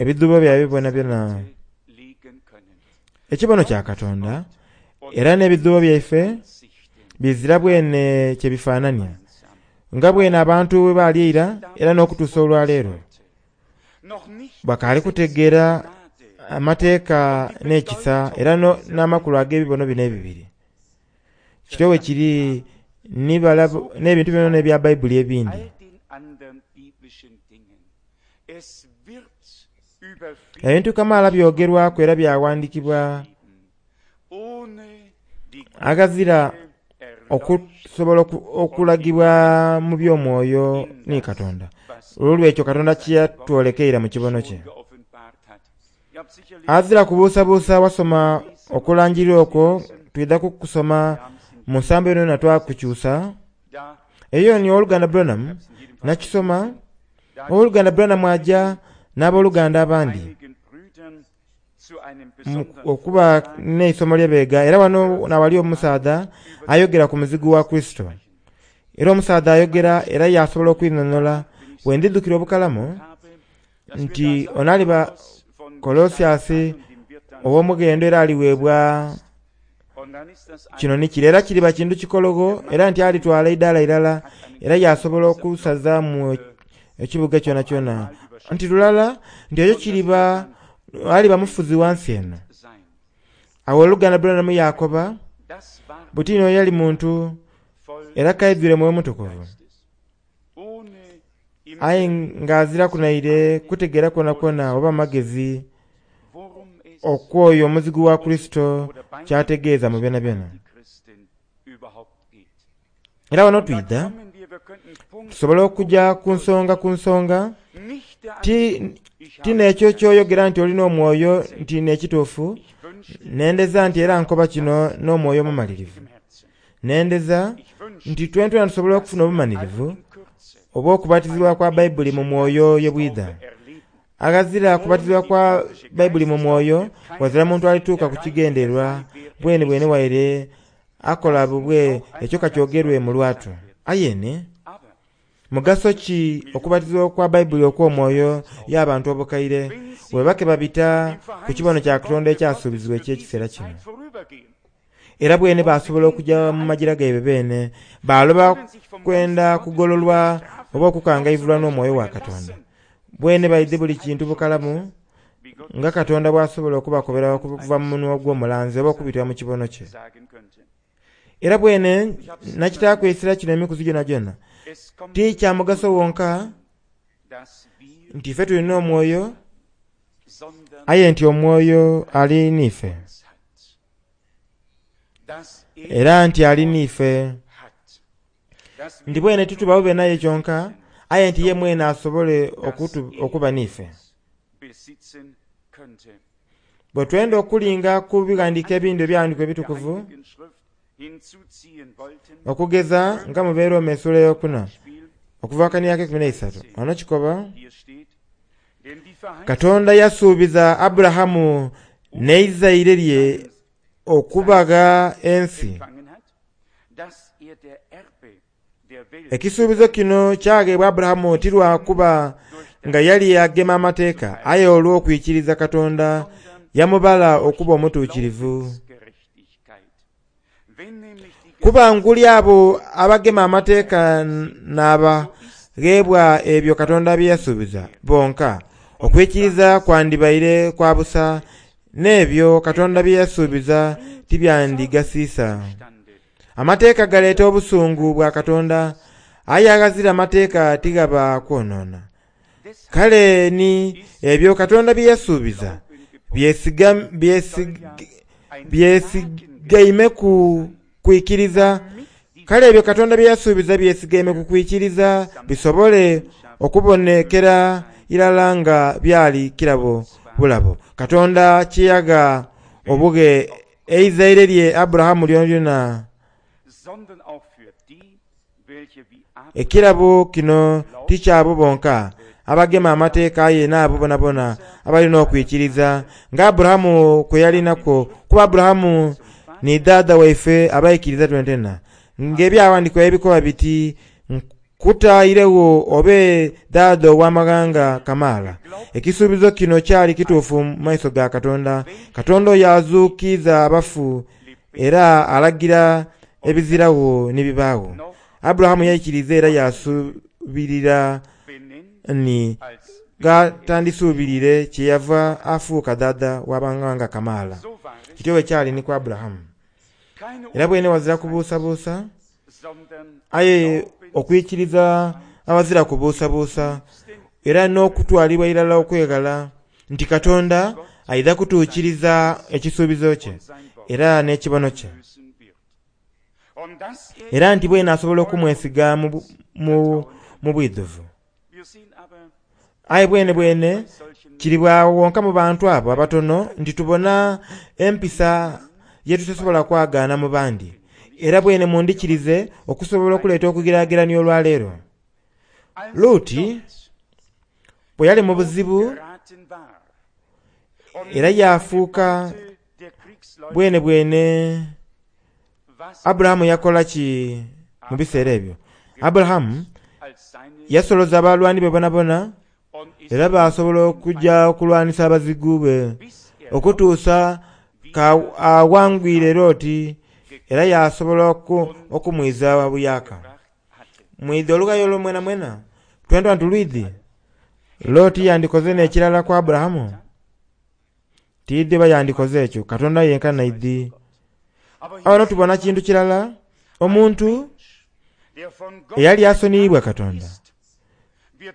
ebidhuubo byabwe byona byona. Ekibono kya Katonda era n'ebidhuubo byaife bizira bwene kye bifaanania, nga bwene abantu bwe baali eira era n'okutuusa olwaleero bakaali kutegeera amateeka n'ekisa era n'amakulu ag'ebibono bino ebibiri. Kityo bwe kiri n'ebintu byona ebya Bayibuli ebindi. Ebintu kamaala byogerwaku era byawandiikibwa aghazira okusobola okulagibwa mu by'omwoyo ni Katonda. Olwekyo Katonda kyeyatwolekeire mu kibono kye. Azira kubuusabuusa wasoma okulangirira okwo, twidha kukusoma mu nsambo eno yona twakukyusa. Eyo ni Owooluganda Branham nakisoma. Owooluganda Branham ajja n'abooluganda abandi okuba n'eisomo lyebeega, era wano nawali omusaadha ayogera ku muzigu wa Kristo. Era omusaadha ayogera era yasobola okwinhonhola. Bwe ndidhukira obukalamu nti ono aliba Kolosiasi ow'omughendo era aliweebwa kino ni kire, era kiriba kintu kikologho, era nti alitwala eidaala irala era yasobola okusazaamu ekibuga kyonakyona. Nti lulala nti ekyo kiriba aliba mufuzi wa nsi eno. Awo oluganda Branham yakoba buti oyo yali muntu era kaidhwire Mwoyo Mutukuvu, aye ng'azira kunaire kutegeera kwonakwona oba amagezi okwoyo omuzigu wa Kristo kyategeeza mu byonabyona. Era wano twidha Tusobola okujja ku nsonga ku nsonga, ti ti n'ekyo ky'oyogera nti olina omwoyo nti n'ekituufu. Nendeza nti era nkoba kino n'omwoyo omumalirivu. Nendeza nti twentwena tusobola okufuna obumalirivu obw'okubatizibwa kwa Bayibuli mu mwoyo ye bwidha. Aghazira kubatizibwa kwa Bayibuli mu mwoyo, wazira muntu alituuka ku kigendererwa bwene bwene waire akola bubwe ekyo kakyogerwe mu lwatu. Ayene mugaso ki okubatizibwa kwa Bayibuli okw'omwoyo y'abantu obukaire bwe bake babita ku kibono kya Katonda ekyasuubizibwa eky'ekiseera kino. Era bwene basobola okujja mu magira gaibwe beene baloba kwenda kugololwa oba okukangaivulwa n'omwoyo wa Katonda. Bwene baidhi buli kintu bukalamu nga Katonda bw'asobola okubakobera okuva mu munwa gw'omulanzi oba okubitira mu kibono kye. Era bwene nakitaakwesera kino emikuzi gyona gyona ti kya mugaso wonka nti ife tulina omwoyo, aye nti omwoyo ali n'ife, era nti ali n'ife nti bwene tituba bube naye kyonka, aye nti ye mwene asobole okuba n'ife. Bwe twenda okulinga ku bighandiiko ebindi ebyawandiikibwa ebitukuvu, okugeza nga mu Beeroma essuula ey'okuna okuva akaniaka ekumi n'eisatu, ono kikoba Katonda yasuubiza Aburahamu n'eizaire lye okubagha ensi. Ekisuubizo kino kyagheebwa Aburahamu ti lwa kuba nga yali agema amateeka, aye olw'okwikiriza Katonda yamubala okuba omutuukirivu. Kuba nguli abo abagema amateeka n'abagheebwa ebyo Katonda bye yasuubiza bonka, okwikiriza kwandibaire kwa busa, n'ebyo Katonda bye yasuubiza tibyandigasiisa. Amateeka galeeta obusungu bwa Katonda, aye aghazira amateeka tighaba kwonoona. Kale ni ebyo Katonda bye yasuubiza byesigaime ku kwikiriza. Kale ebyo Katonda bye yasuubiza byesigaime ku kwikiriza bisobole okubonekera irala nga byali kirabo bulabo. Katonda kye yagha obughe eizaire lye Aburahamu lyonalyona. Ekirabo kino ti kyabo bonka abagema amateeka, aye n'abo bonabona abalina okwikiriza nga Aburahamu kwe yalinakwo, kuba Aburahamu ni dhaadha waife abaikiriza twentena. Ng'ebyawandiikibwa ebikoba biti, nkutairegho obe dhaadha ow'amaghanga kamaala. Ekisuubizo kino kyali kituufu mu maiso ga Katonda. Katonda oyo azuukiza abafu era alagira ebiziragho ni bibaagho. Aburahamu yaikiriza era yasuubirira ni gatandisuubirire kyeyava afuuka dhaadha w'amaghanga kamaala. Kityo bwe kyali ni ku Aburahamu. Era bwene wazira kubuusabuusa, aye okwikiriza abazira kubuusabuusa era n'okutwalibwa irala okweghala nti Katonda aidha kutuukiriza ekisuubizo kye era n'ekibono kye. Era nti bwene asobola okumwesiga mu, mu, mu bwidhuvu. Aye bwene bwene kiri bwawo wonka mu bantu abo abatono nti tubona empisa ye tutasobola kwagaana mu bandi. Era bwene mundikirize okusobola okuleeta okugeraagerania olwaleero. Luti bwe yali mu buzibu era yafuuka bwene bwene. Aburahamu yakola ki mu biseera ebyo? Aburahamu yasoloza abalwani be bonabona era basobola okujja okulwanisa abazigu be okutuusa ka awangwire Loti era yasobola okumwiza buyaka. Mwidhi olugayo olwo mwena mwena twentwa nti lwidhi. Loti yandikoze n'ekirala ku Aburahamu? Tiidhi oba yandikoze ekyo, Katonda yenka naidhi. Awo tubona kintu kirala, omuntu eyali asoniibwa Katonda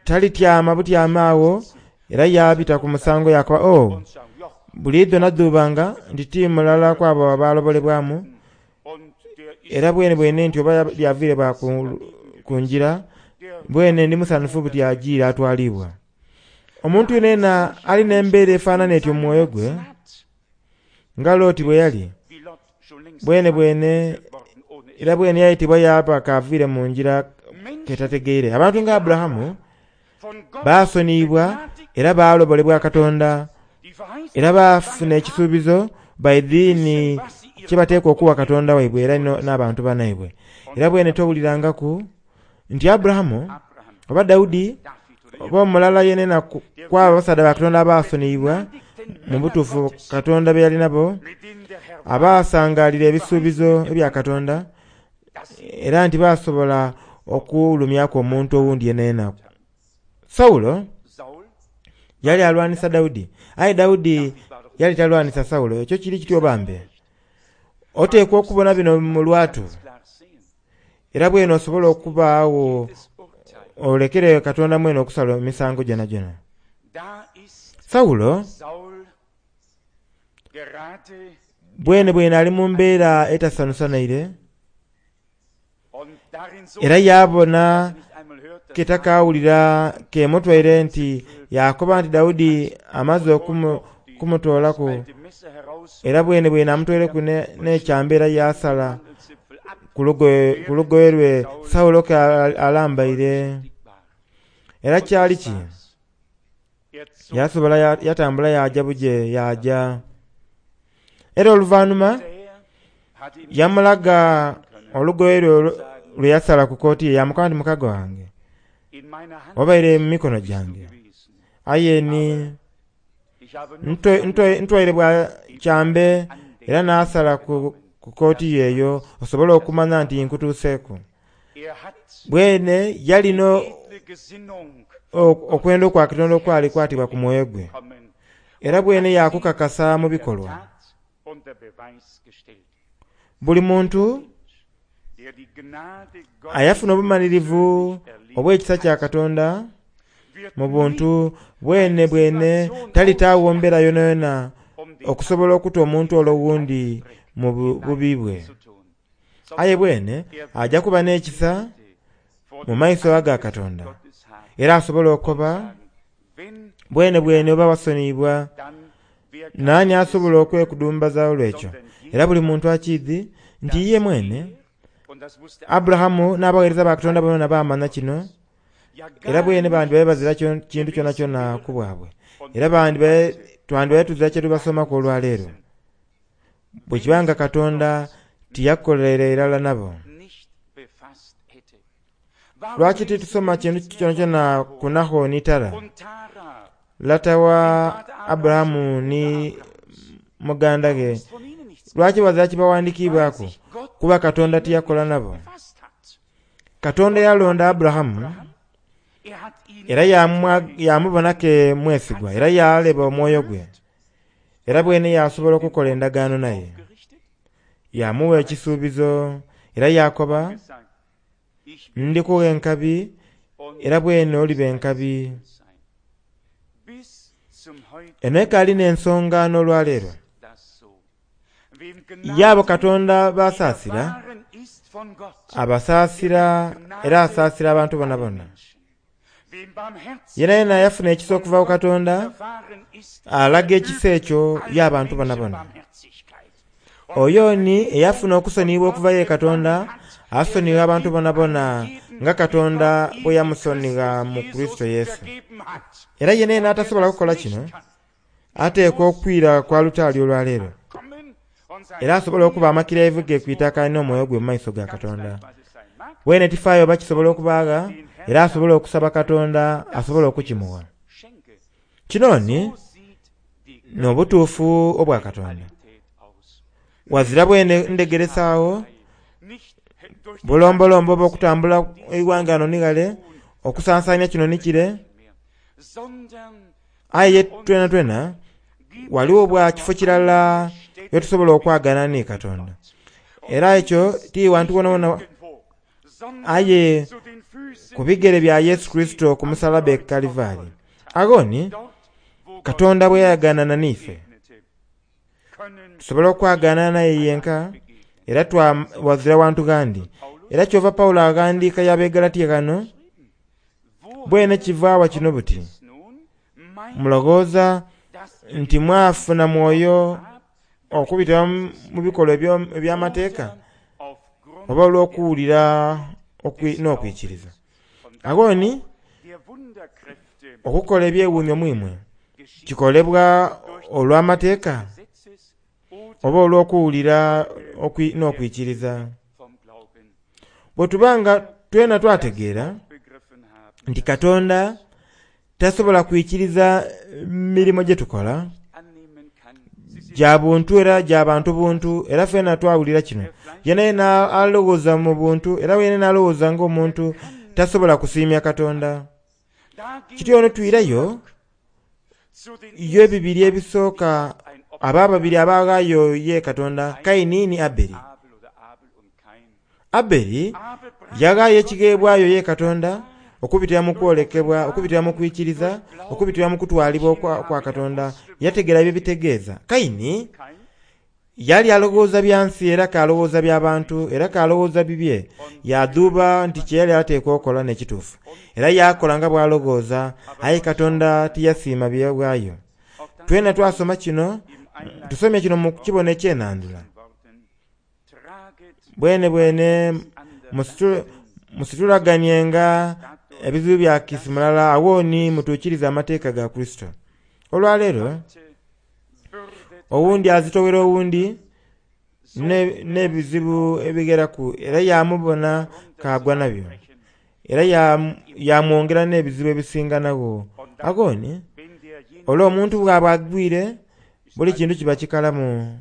talityama butyama awo era yabita ku musango yakoba, oh, buliidho nadhubanga nti ti mulala ku abo abalobolebwamu, era bwene bwene nti oba lyaviire bwa ku, ku njira bwene ndi musanufu buti ajiire atwalibwa. Omuntu yenena alina embeera efaanana etyo mu mwoyo gwe nga Loti bwe yali bwene bwene era bwene yayitibwa yaba kaviire mu njira ketategeire. Abantu nga Aburahamu baasoniibwa era baalobolebwa Katonda era baafuna ekisuubizo baidhiini kyebateekwa okuwa Katonda waibwe era n'abantu banaibwe. Era bwene towulirangaku nti Aburahamu oba Daudi oba omulala yenena kwabo abasaadha ba Katonda abaasoniibwa mu butuufu Katonda be yali nabo abaasangalira ebisuubizo ebya Katonda era nti basobola okulumyaku omuntu owundi yenena. Sawulo yali alwanisa Daudi, aye Daudi yali talwanisa Sawulo. Ekyo kiri kityo bambe. Oteekwa okubona bino mu lwatu era bwene osobola okubaawo olekere Katonda mwene okusala emisango gyona gyona. Sawulo bwene bwene ali mu mbeera etasanusa naire era yabona ketakawulira kemutwaire nti yakoba nti Daudi amaze okumutoolaku era bwene bwene amutwaireku n'ekyambe era yasala ku lugoye lwe Sawulo ke alambaire. Era kyali ki? Yasobola yatambula yaja buje yaja. Era oluvannyuma yamulaga olugoye lwe lwe yasala ku kooti ye yamukoba nti mukago wange obaire mu mikono gyange aye ni ntwaire bwa kyambe era n'asala ku kooti yeeyo osobola okumanya nti nkutuuseeku. Bwene yalina okwenda okwa Katonda okwali kwatibwa ku mwoyo gwe era bwene yakukakasa mu bikolwa. Buli muntu ayafuna obumalirivu obw'ekisa kya Katonda mu buntu bwene bwene talitaawo mbeera yonayona okusobola okuta omuntu olwo owundi mu bubi bwe. Aye bwene ajja kuba n'ekisa mu maiso aga Katonda era asobola okuba bwene bwene oba wasoniibwa nani asobola okwekudumbaza olwekyo. Era buli muntu akiidhi nti ye mwene Aburahamu n'abaweereza ba Katonda bonna baamanya kino era bwene bandi babe bazira kintu kyona kyona ku bwabwe era bandi twandibaye tuzira kye tubasomaku olwaleero bwe kibanga Katonda tiyakolera irala nabo. Lwaki titusoma kintu kyona kyona ku Naho ni Tara, lata wa Aburahamu ni muganda ge? Lwaki bazira kibawandiikibwaku kuba Katonda tiyakola nabo? Katonda yalonda Aburahamu era yamubona ke mwesigwa era yaleba omwoyo gwe era bwene yasobola okukola endagaano naye yamuwa ekisuubizo era yakoba ndikuwa enkabi era bwene oliba enkabi. Eno ekaali n'ensonga n'olwaleero yabo Katonda basaasira abasaasira era asaasira abantu bona bona. Yena yena yafuna ekisa okuva ku Katonda alaga ekisa ekyo y'abantu bona bona. Oyo ni eyafuna okusoniyibwa okuva ye Katonda asonyiwa abantu bona bona nga Katonda bwe yamusonyiwa mu Kristo Yesu. Era yena yena atasobola kukola kino ateekwa okwira kwa lutaali olwaleero era asobola okuba amakiraivu ge ku itaka n'omwoyo gwe mu maiso ga Katonda. Bwene tifaayo oba kisobola okubaaga era asobola okusaba Katonda asobola okukimuwa. Kino ni n'obutuufu obwa Katonda. Wazira bwene ndegeresaawo bulombolombo oba okutambula eighanga ano ni ghale okusansaanya kino ni kire aye twena twena waliwo bwa kifo kirala wetusobola okwagana ni Katonda. Era ekyo ti wantu wonawona aye ku bigere bya Yesu Kristo ku musalaba e Kalivaali. Ago ni Katonda bwe yayaganana n'ife tusobola okwagana naye yenka era twawazira wantu gandi. Era kyova Pawulo aghandiika y'Abegalatiya ghano, bwene kivaawa kino buti. Mulowooza nti mwafuna mwoyo okubitira mu bikolwa eby'amateeka oba olw'okuwulira n'okwikiriza. Awo ni okukola ebyewuunyo mwimwe kikolebwa olw'amateeka oba olw'okuwulira n'okwikiriza. Bwe tubanga twena twategeera nti Katonda tasobola kwikiriza mirimo gye tukola gya buntu era gya bantu buntu, era fena twawulira kino. Yena yena alowooza mu buntu, era yena alowooza ng'omuntu tasobola kusiimya Katonda. Kityo ono twirayo yo ebibiri ebisooka aba babiri abaghaayo ye Katonda, Kaini ni Abeli. Abeli yaghaayo ekigheebwayo ye Katonda okubitira mu kwolekebwa, okubitira mu kwikiriza, okubitira mu kutwalibwa kwa, kwa Katonda. Yategeera bye bitegeeza. Kaini yali alowooza bya nsi era kalowooza by'abantu era kalowooza bibye. Yadhuuba nti kye yali ateekwa okola n'ekituufu, era yakola nga bw'alowooza, aye Katonda tiyasiima byebwayo. Twena twasoma kino, tusomye kino mu kibono ekyenandula. Bwene bwene musitulaganyenga ebizibu bya kisi mulala, awo ni mutuukirize amateeka ga Kristo. Olwaleero owundi azitowera owundi n'ebizibu ebigeraku, era yamubona kagwa nabyo, era yamwongera n'ebizibu ebisinganagho. Awo ni olw'omuntu bw'aba agwire buli kintu kiba kikalamu.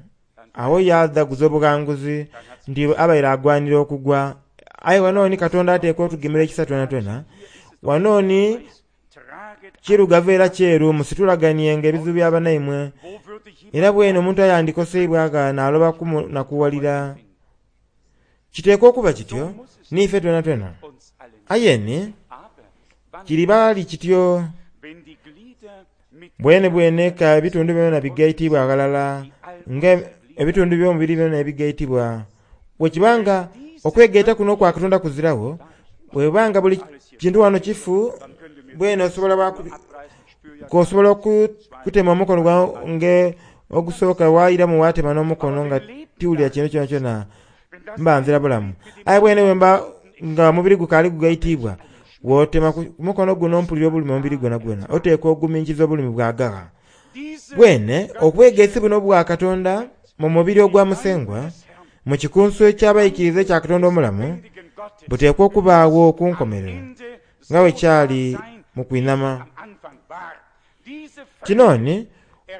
Awo yadhaguza obughanguzi nti abaire agwanira okugwa. Aye wano ni Katonda ateekwa otugemera ekisa twena twena. Wano ni kirugavu era kyeru, musitulaganienga ebizibu by'abanaimwe. Era bwene omuntu ayandikoseibwa aga n'aloba nakuwalira. Kiteekwa okuba kityo niife twena twena. Aye ni kiribaali kityo bwene bwene ka ebitundu byona bigaitibwa aghalala, nga ebitundu by'omubiri byona ebigaitibwa. Bwekibanga okwegaita kuno okwa Katonda kuzirawo, bwebanga buli kintu wano kifu, bwene osobola osobola okutema omukono gwange ogusooka wairamu watema n'omukono nga tiwulira kintu kyona kyona mba nzira bulamu. Aye bwene bwemba nga omubiri gukaali gugaitibwa, wotema ku mukono guno mpulira obulumi omubiri gwona gwona, oteekwa oguminkiza obulumi bwagagha. Bwene obwegesi buno bwa Katonda mu mubiri ogwa Musengwa, mu kikunsu eky'abaikiriza ekya Katonda omulamu, buteekwa okubaawo ku nkomerero nga bwe kyali mu kwinama. Kino ni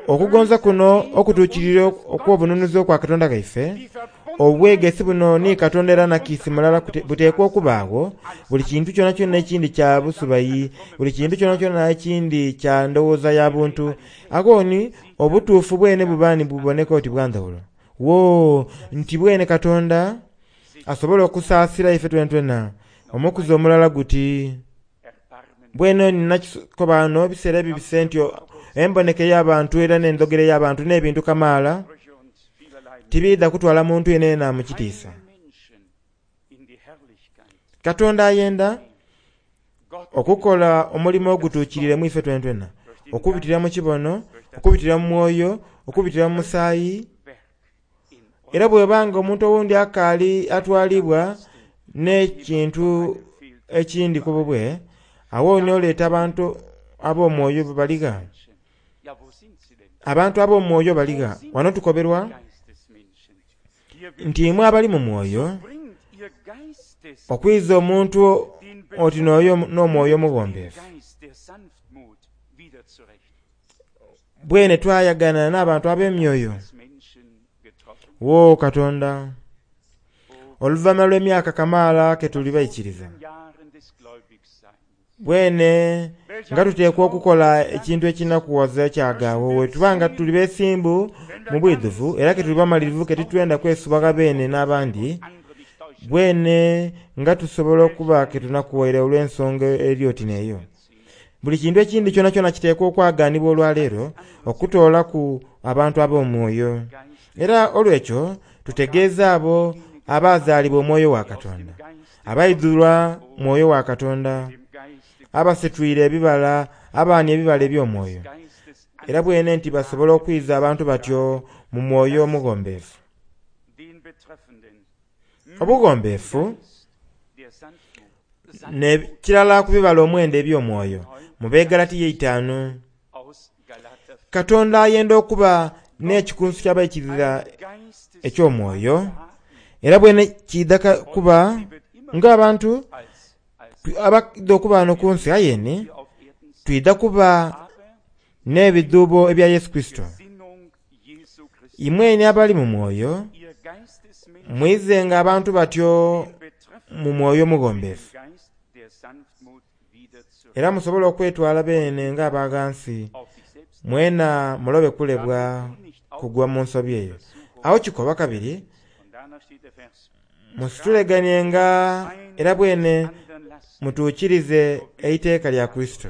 okugonza kuno okutuukirira okw'obununuzi okwa Katonda gaife, obwegesi buno ni Katonda era nakiisi mulala buteekwa okubaawo. Buli kintu kyona kyona ekindi kya busubayi, buli kintu kyona kyona ekindi kya ndowooza ya buntu. Awo ni obutuufu bwene buba ni buboneka oti bwa ndhawulo. Wo nti bwene Katonda asobola okusaasira ife twena twena omukuzi omulala guti. Bwene nakikoba wano ebiseera ebibise nti emboneka ey'abantu era n'endhogera ey'abantu n'ebintu kamaala tibiidha kutwala muntu yenayena mu kitiisa. Katonda ayenda okukola omulimu ogutuukirire mu ife twena twena, okubitira mu kibono, okubitira mu mwoyo, okubitira mu musaayi. Era bwebanga omuntu owundi akaali atwalibwa n'ekintu ekindi ku bubwe, awo ni oleeta abantu ab'omwoyo baligha. Abantu ab'omwoyo baligha. Wano tukoberwa nti imwe abali mu mwoyo, okwiza omuntu oti n'oyo n'omwoyo omuwombeefu. Bwene twayagana n'abantu ab'emyoyo. Wo Katonda, oluvannyuma lw'emyaka kamaala ke tuli baikiriza, bwene nga tuteekwa okukola ekintu ekinakuwaza ekyagaawo. We tubanga tuli beesimbu mu bwidhuvu era ke tuli bamalirivu ke titwenda kwesubagha beene n'abandi, bwene nga tusobola okuba ke tunakuwaire olw'ensonga eri oti n'eyo. Buli kintu ekindi kyona kyona kiteekwa okwaganibwa olwaleero okutoolaku abantu ab'omwoyo. Era olwekyo tutegeeza abo abazaalibwa omwoyo wa Katonda, abaidhulwa mwoyo wa Katonda, abasitwire ebibala, abaani ebibala eby'omwoyo, era bwene nti basobola okwiza abantu batyo mu mwoyo omughombeefu. Obughombeefu nekirala ku bibala omwenda eby'omwoyo mu Begalatiya eitaanu. Katonda ayenda okuba n'ekikunsu ky'abaikiriza eky'omwoyo, era bwene kiidha kuba ng'abantu abaidha okuba wano ku nsi ayeni twidha kuba n'ebidhuubo ebya Yesu Kristo. Imweni abali mu mwoyo mwizenga abantu batyo mu mwoyo omughombeefu, era musobole okwetwala beene ng'abaghansi, mwena mulobe kulebwa kugwa mu nsobi eyo. Awo kikoba kabiri, musituleganienga era bwene mutuukirize eiteeka lya Kristo.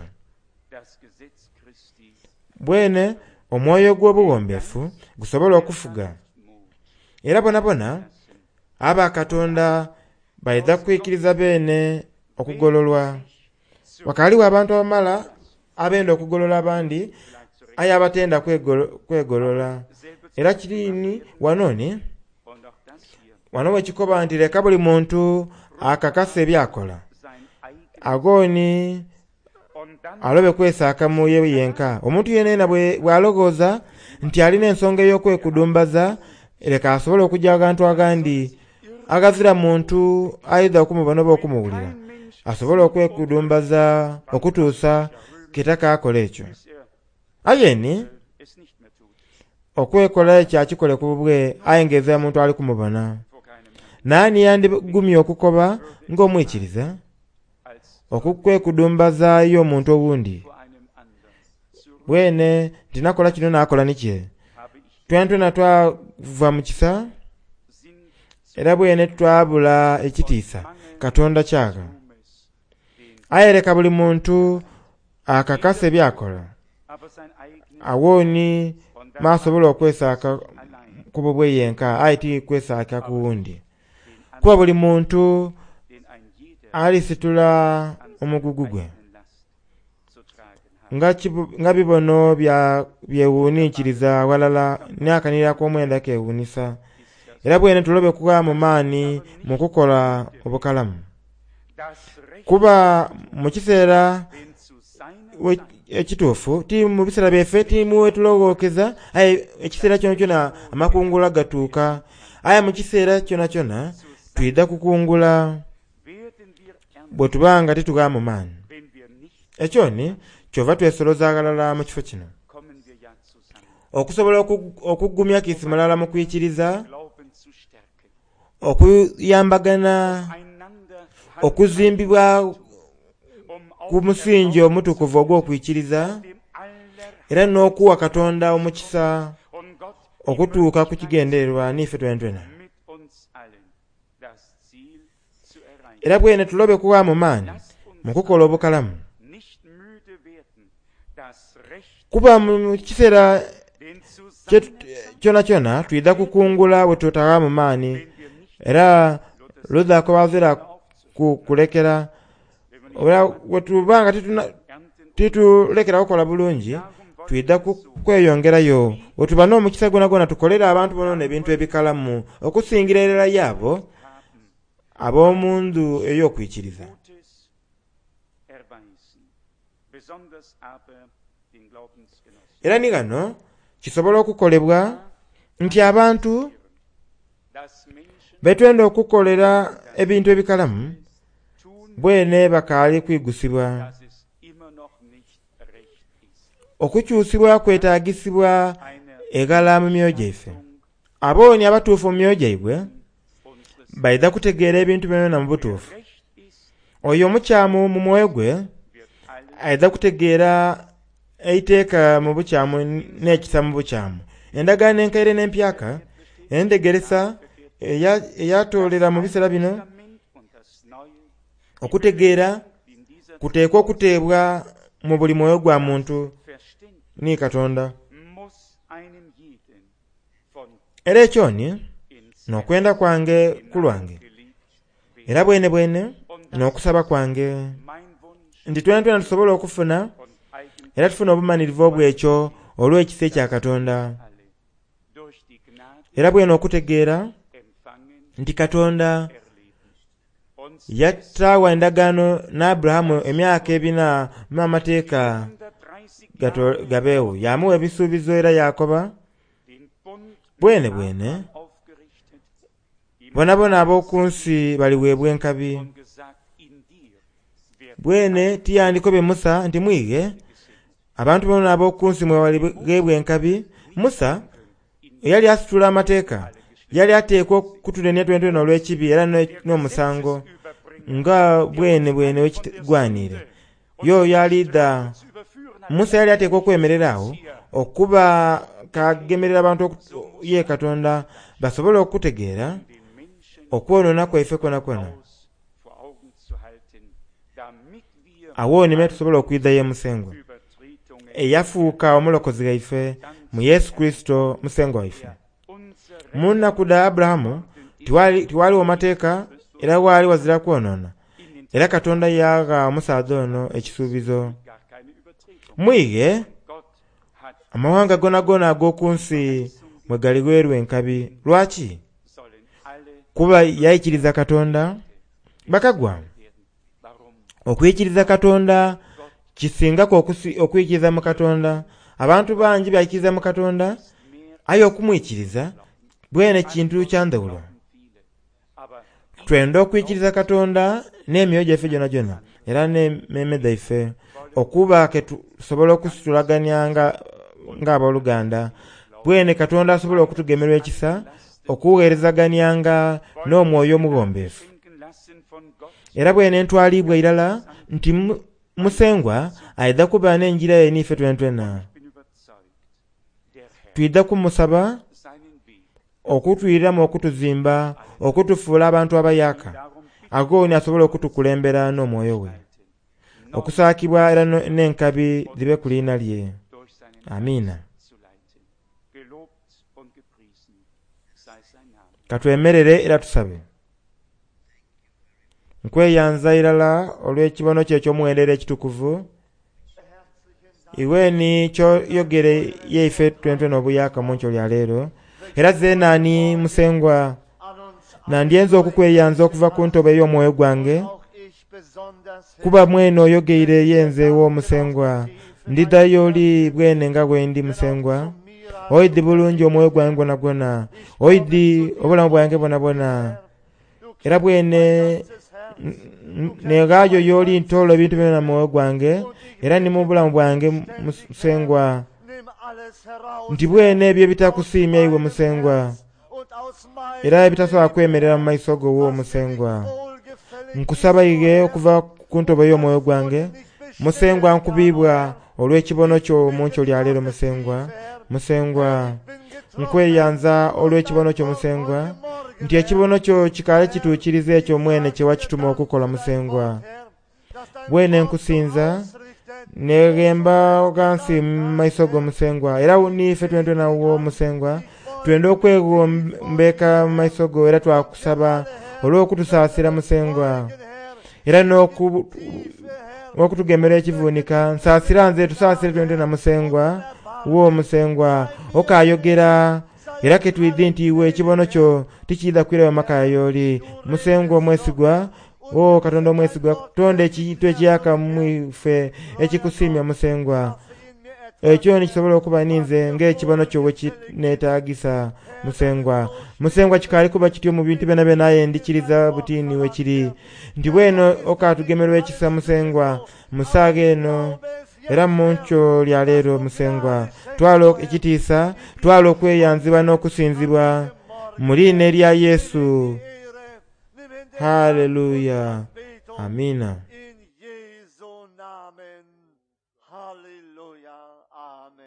Bwene omwoyo gw'obughombeefu gusobola okufuga, era bonabona aba Katonda baidha kwikiriza beene okugololwa. Wakaaliwo abantu abamala abenda okugolola abandi, aye abatenda kwegolola. Era kirini wanoni wano wekikoba nti leka buli muntu akakasa ebyakola, agoni alobe kwesaaka mu ye yenka. Omuntu yenena bw'alowooza nti alina ensonga ey'okwekudumbaza, leka asobole okujja aghantu agandi aghazira muntu aidha okumubona oba okumuwulira, asobole okwekudumbaza okutuusa kitaka akola ekyo. Ayeni okwekola ekyo akikole ku bubwe, aye ng'ezira muntu ali kumubona. Naani yandigumye okukoba ng'omwikiriza okukwekudumbaza y'omuntu owundi, bwene nti nakola kino nakola nikye. Twena twena twava mu kisa, era bwene twabula ekitiisa Katonda kyagha. Aye leka buli muntu akakasa ebyakola, awooni masobola okwesaaka ku bubwe yenka, aye ti kwesaaka ku wundi. Kuba buli muntu alisitula omugugu gwe. Nga bibono byewuninkiriza walala n'akanira ak'omwenda kewuunisa. Era bwene tulobe kuwa mu maani mu kukola obukalamu. Kuba mu kiseera ekituufu, ti mu biseera byaife ti muwetulowokeza, aye ekiseera kyonakyona amakungula gatuuka. Aye mu kiseera kyonakyona twidha kukungula bwe tuba nga titugha mu maani. Ekyo ni kyova twesoloza aghalala mu kifo kino okusobola okugumya kiisi mulala mu kwikiriza, okuyambagana, okuzimbibwa ku musingi omutukuvu ogw'okwikiriza, era n'okuwa Katonda omukisa okutuuka ku kigendererwa n'ife twenatwena. Era bwene tulobe kuwa mu maani mu kukola obukalamu. Kuba mu kiseera kyonakyona twidha kukungula bwe tutagha mu maani, era ludha kubazira kulekera. Era bwe tuba nga titulekera kukola bulungi, twidha kweyongerayo. Bwe tuba n'omukisa gwonagwona tukolere abantu bonabona ebintu ebikalamu, okusingira irala yaabo ab'omu ndhu ey'okwikiriza. Era ni ghano kisobola okukolebwa nti abantu betwenda okukolera ebintu ebikalamu bwene bakaali kwigusibwa. Okukyusibwa kwetagisibwa eghala mu myoyo gyaife. Abooni abatuufu mu myoyo gyaibwe baidha kutegeera ebintu byona mu butuufu. Oyo omukyamu mu mwoyo gwe aidha kutegeera eiteeka mu bukyamu n'ekisa mu bukyamu. Endagaano enkaire n'empyaka endegeresa eyatoolera mu biseera bino okutegeera kuteekwa okuteebwa mu buli mwoyo gwa muntu ni Katonda. Era ekyo ni N'okwenda kwange ku lwange era bwene bwene n'okusaba kwange nti twena twena tusobola okufuna era tufuna obumanirivu obwekyo olw'ekisa ekya Katonda era bwene okutegeera nti Katonda yataawa endagaano ne Aburahamu emyaka ebina mu amateeka gabeewo yamuwa ebisuubizo era yakoba bwene bwene bona bona ab'oku nsi baliweebwa enkabi bwene tiyandikobye Musa nti mwighe abantu bona ab'oku nsi mwe baliweebwa enkabi Musa eyali asitula amateeka yali ateekwa okutunenia twentwena olw'ekibi era n'omusango nga bwene bwene wekigwanire yo yalidha Musa yali ateekwa okwemerera awo okuba kagemerera abantu ye Katonda basobole okutegeera okwonoona kwaife kwona kwona awo nime tusobola okwidha ye Musengwa eyafuuka omulokozi waife mu Yesu Kristo Musengwa waife. Mu nnaku dha Aburahamu tiwaliwo mateeka era waali wazira kwonoona era Katonda yagha omusaadha ono ekisuubizo mwighe amawanga gonagona ag'oku nsi mwe galiweerwa enkabi. Lwaki? Kuba yaikiriza Katonda. Bakagwa okwikiriza Katonda kisingaku okwikiriza mu Katonda. Abantu bangi baikiriza mu Katonda aye okumwikiriza bwene kintu kya ndhawulo. Twenda okwikiriza Katonda n'emyoyo gyaife gyona era n'emmeeme dhaife okuba ke tusobola okusitulagania ng'abooluganda bwene Katonda asobola okutugemerwa ekisa okuweerezaganyanga n'omwoyo omuwombeefu. Era bwene ntwalibwa irala nti Musengwa aidha kuba n'enjira ye n'ife twentwena. Twidha kumusaba okutwiriramu okutuzimba okutufuula abantu abayaka agooni asobola okutukulembera n'omwoyo we okusaakibwa era n'enkabi dhibe ku liina lye. Amiina. Katwemerere era tusabe. Nkweyanza irala olw'ekibono kye eky'omuwendero ekitukuvu iweni kyoyogere yeife twentwena obuyaka mu nkyo lya leero era zenaani Musengwa nandyenza okukweyanza okuva ku ntobo ey'omwoyo gwange kuba mwene oyogeire yenze wo Musengwa ndidha y'oli bwene nga bwendi Musengwa oidhi bulungi omwoyo gwange gwona gwona oidhi obulamu bwange bwona bwona era bwene neghaayo y'oli ntoola ebintu byona mu mwoyo gwange era ni mu bulamu bwange Musengwa nti bwene ebyo ebitakusiimya iwe Musengwa era ebitasobola kwemerera mu maiso go wo Musengwa nkusaba ighe okuva ku ntobo y'omwoyo gwange Musengwa nkubibwa olw'ekibono kyo mu nkyo lya leero Musengwa. Musengwa nkweyanza olw'ekibono kyo Musengwa nti ekibono kyo kikaale kituukiriza ekyo mwene kye wakituma okukola Musengwa. Bwene nkusinza neghemba ghansi mu maiso go Musengwa era niife twentwena wo Musengwa twenda okwegombeka mu maiso go era twakusaba olw'okutusaasira Musengwa era n'okutugemera ekivunika. Nsaasira nze tusaasire twentwena Musengwa wo Musengwa okayogera era ketwidhi nti iwe ekibono kyo tikiidha kwirayo maka y'oli Musengwa omwesigwa o Katonda omwesigwa tonda ekintu ekiyaka mwife ekikusiimya Musengwa ekyo nikisobola okuba ninze ng'ekibono kyo bwe kineetaagisa Musengwa. Musengwa kikaali kuba kityo mu bintu byona byona aye ndikiriza butini we kiri nti bweno okatugemerwa ekisa Musengwa musaaga eno era mu nkyo lya leero Musengwa twala ekitiisa twala okweyanzibwa n'okusinzibwa mu liina erya Yesu. Haleluya. Amina.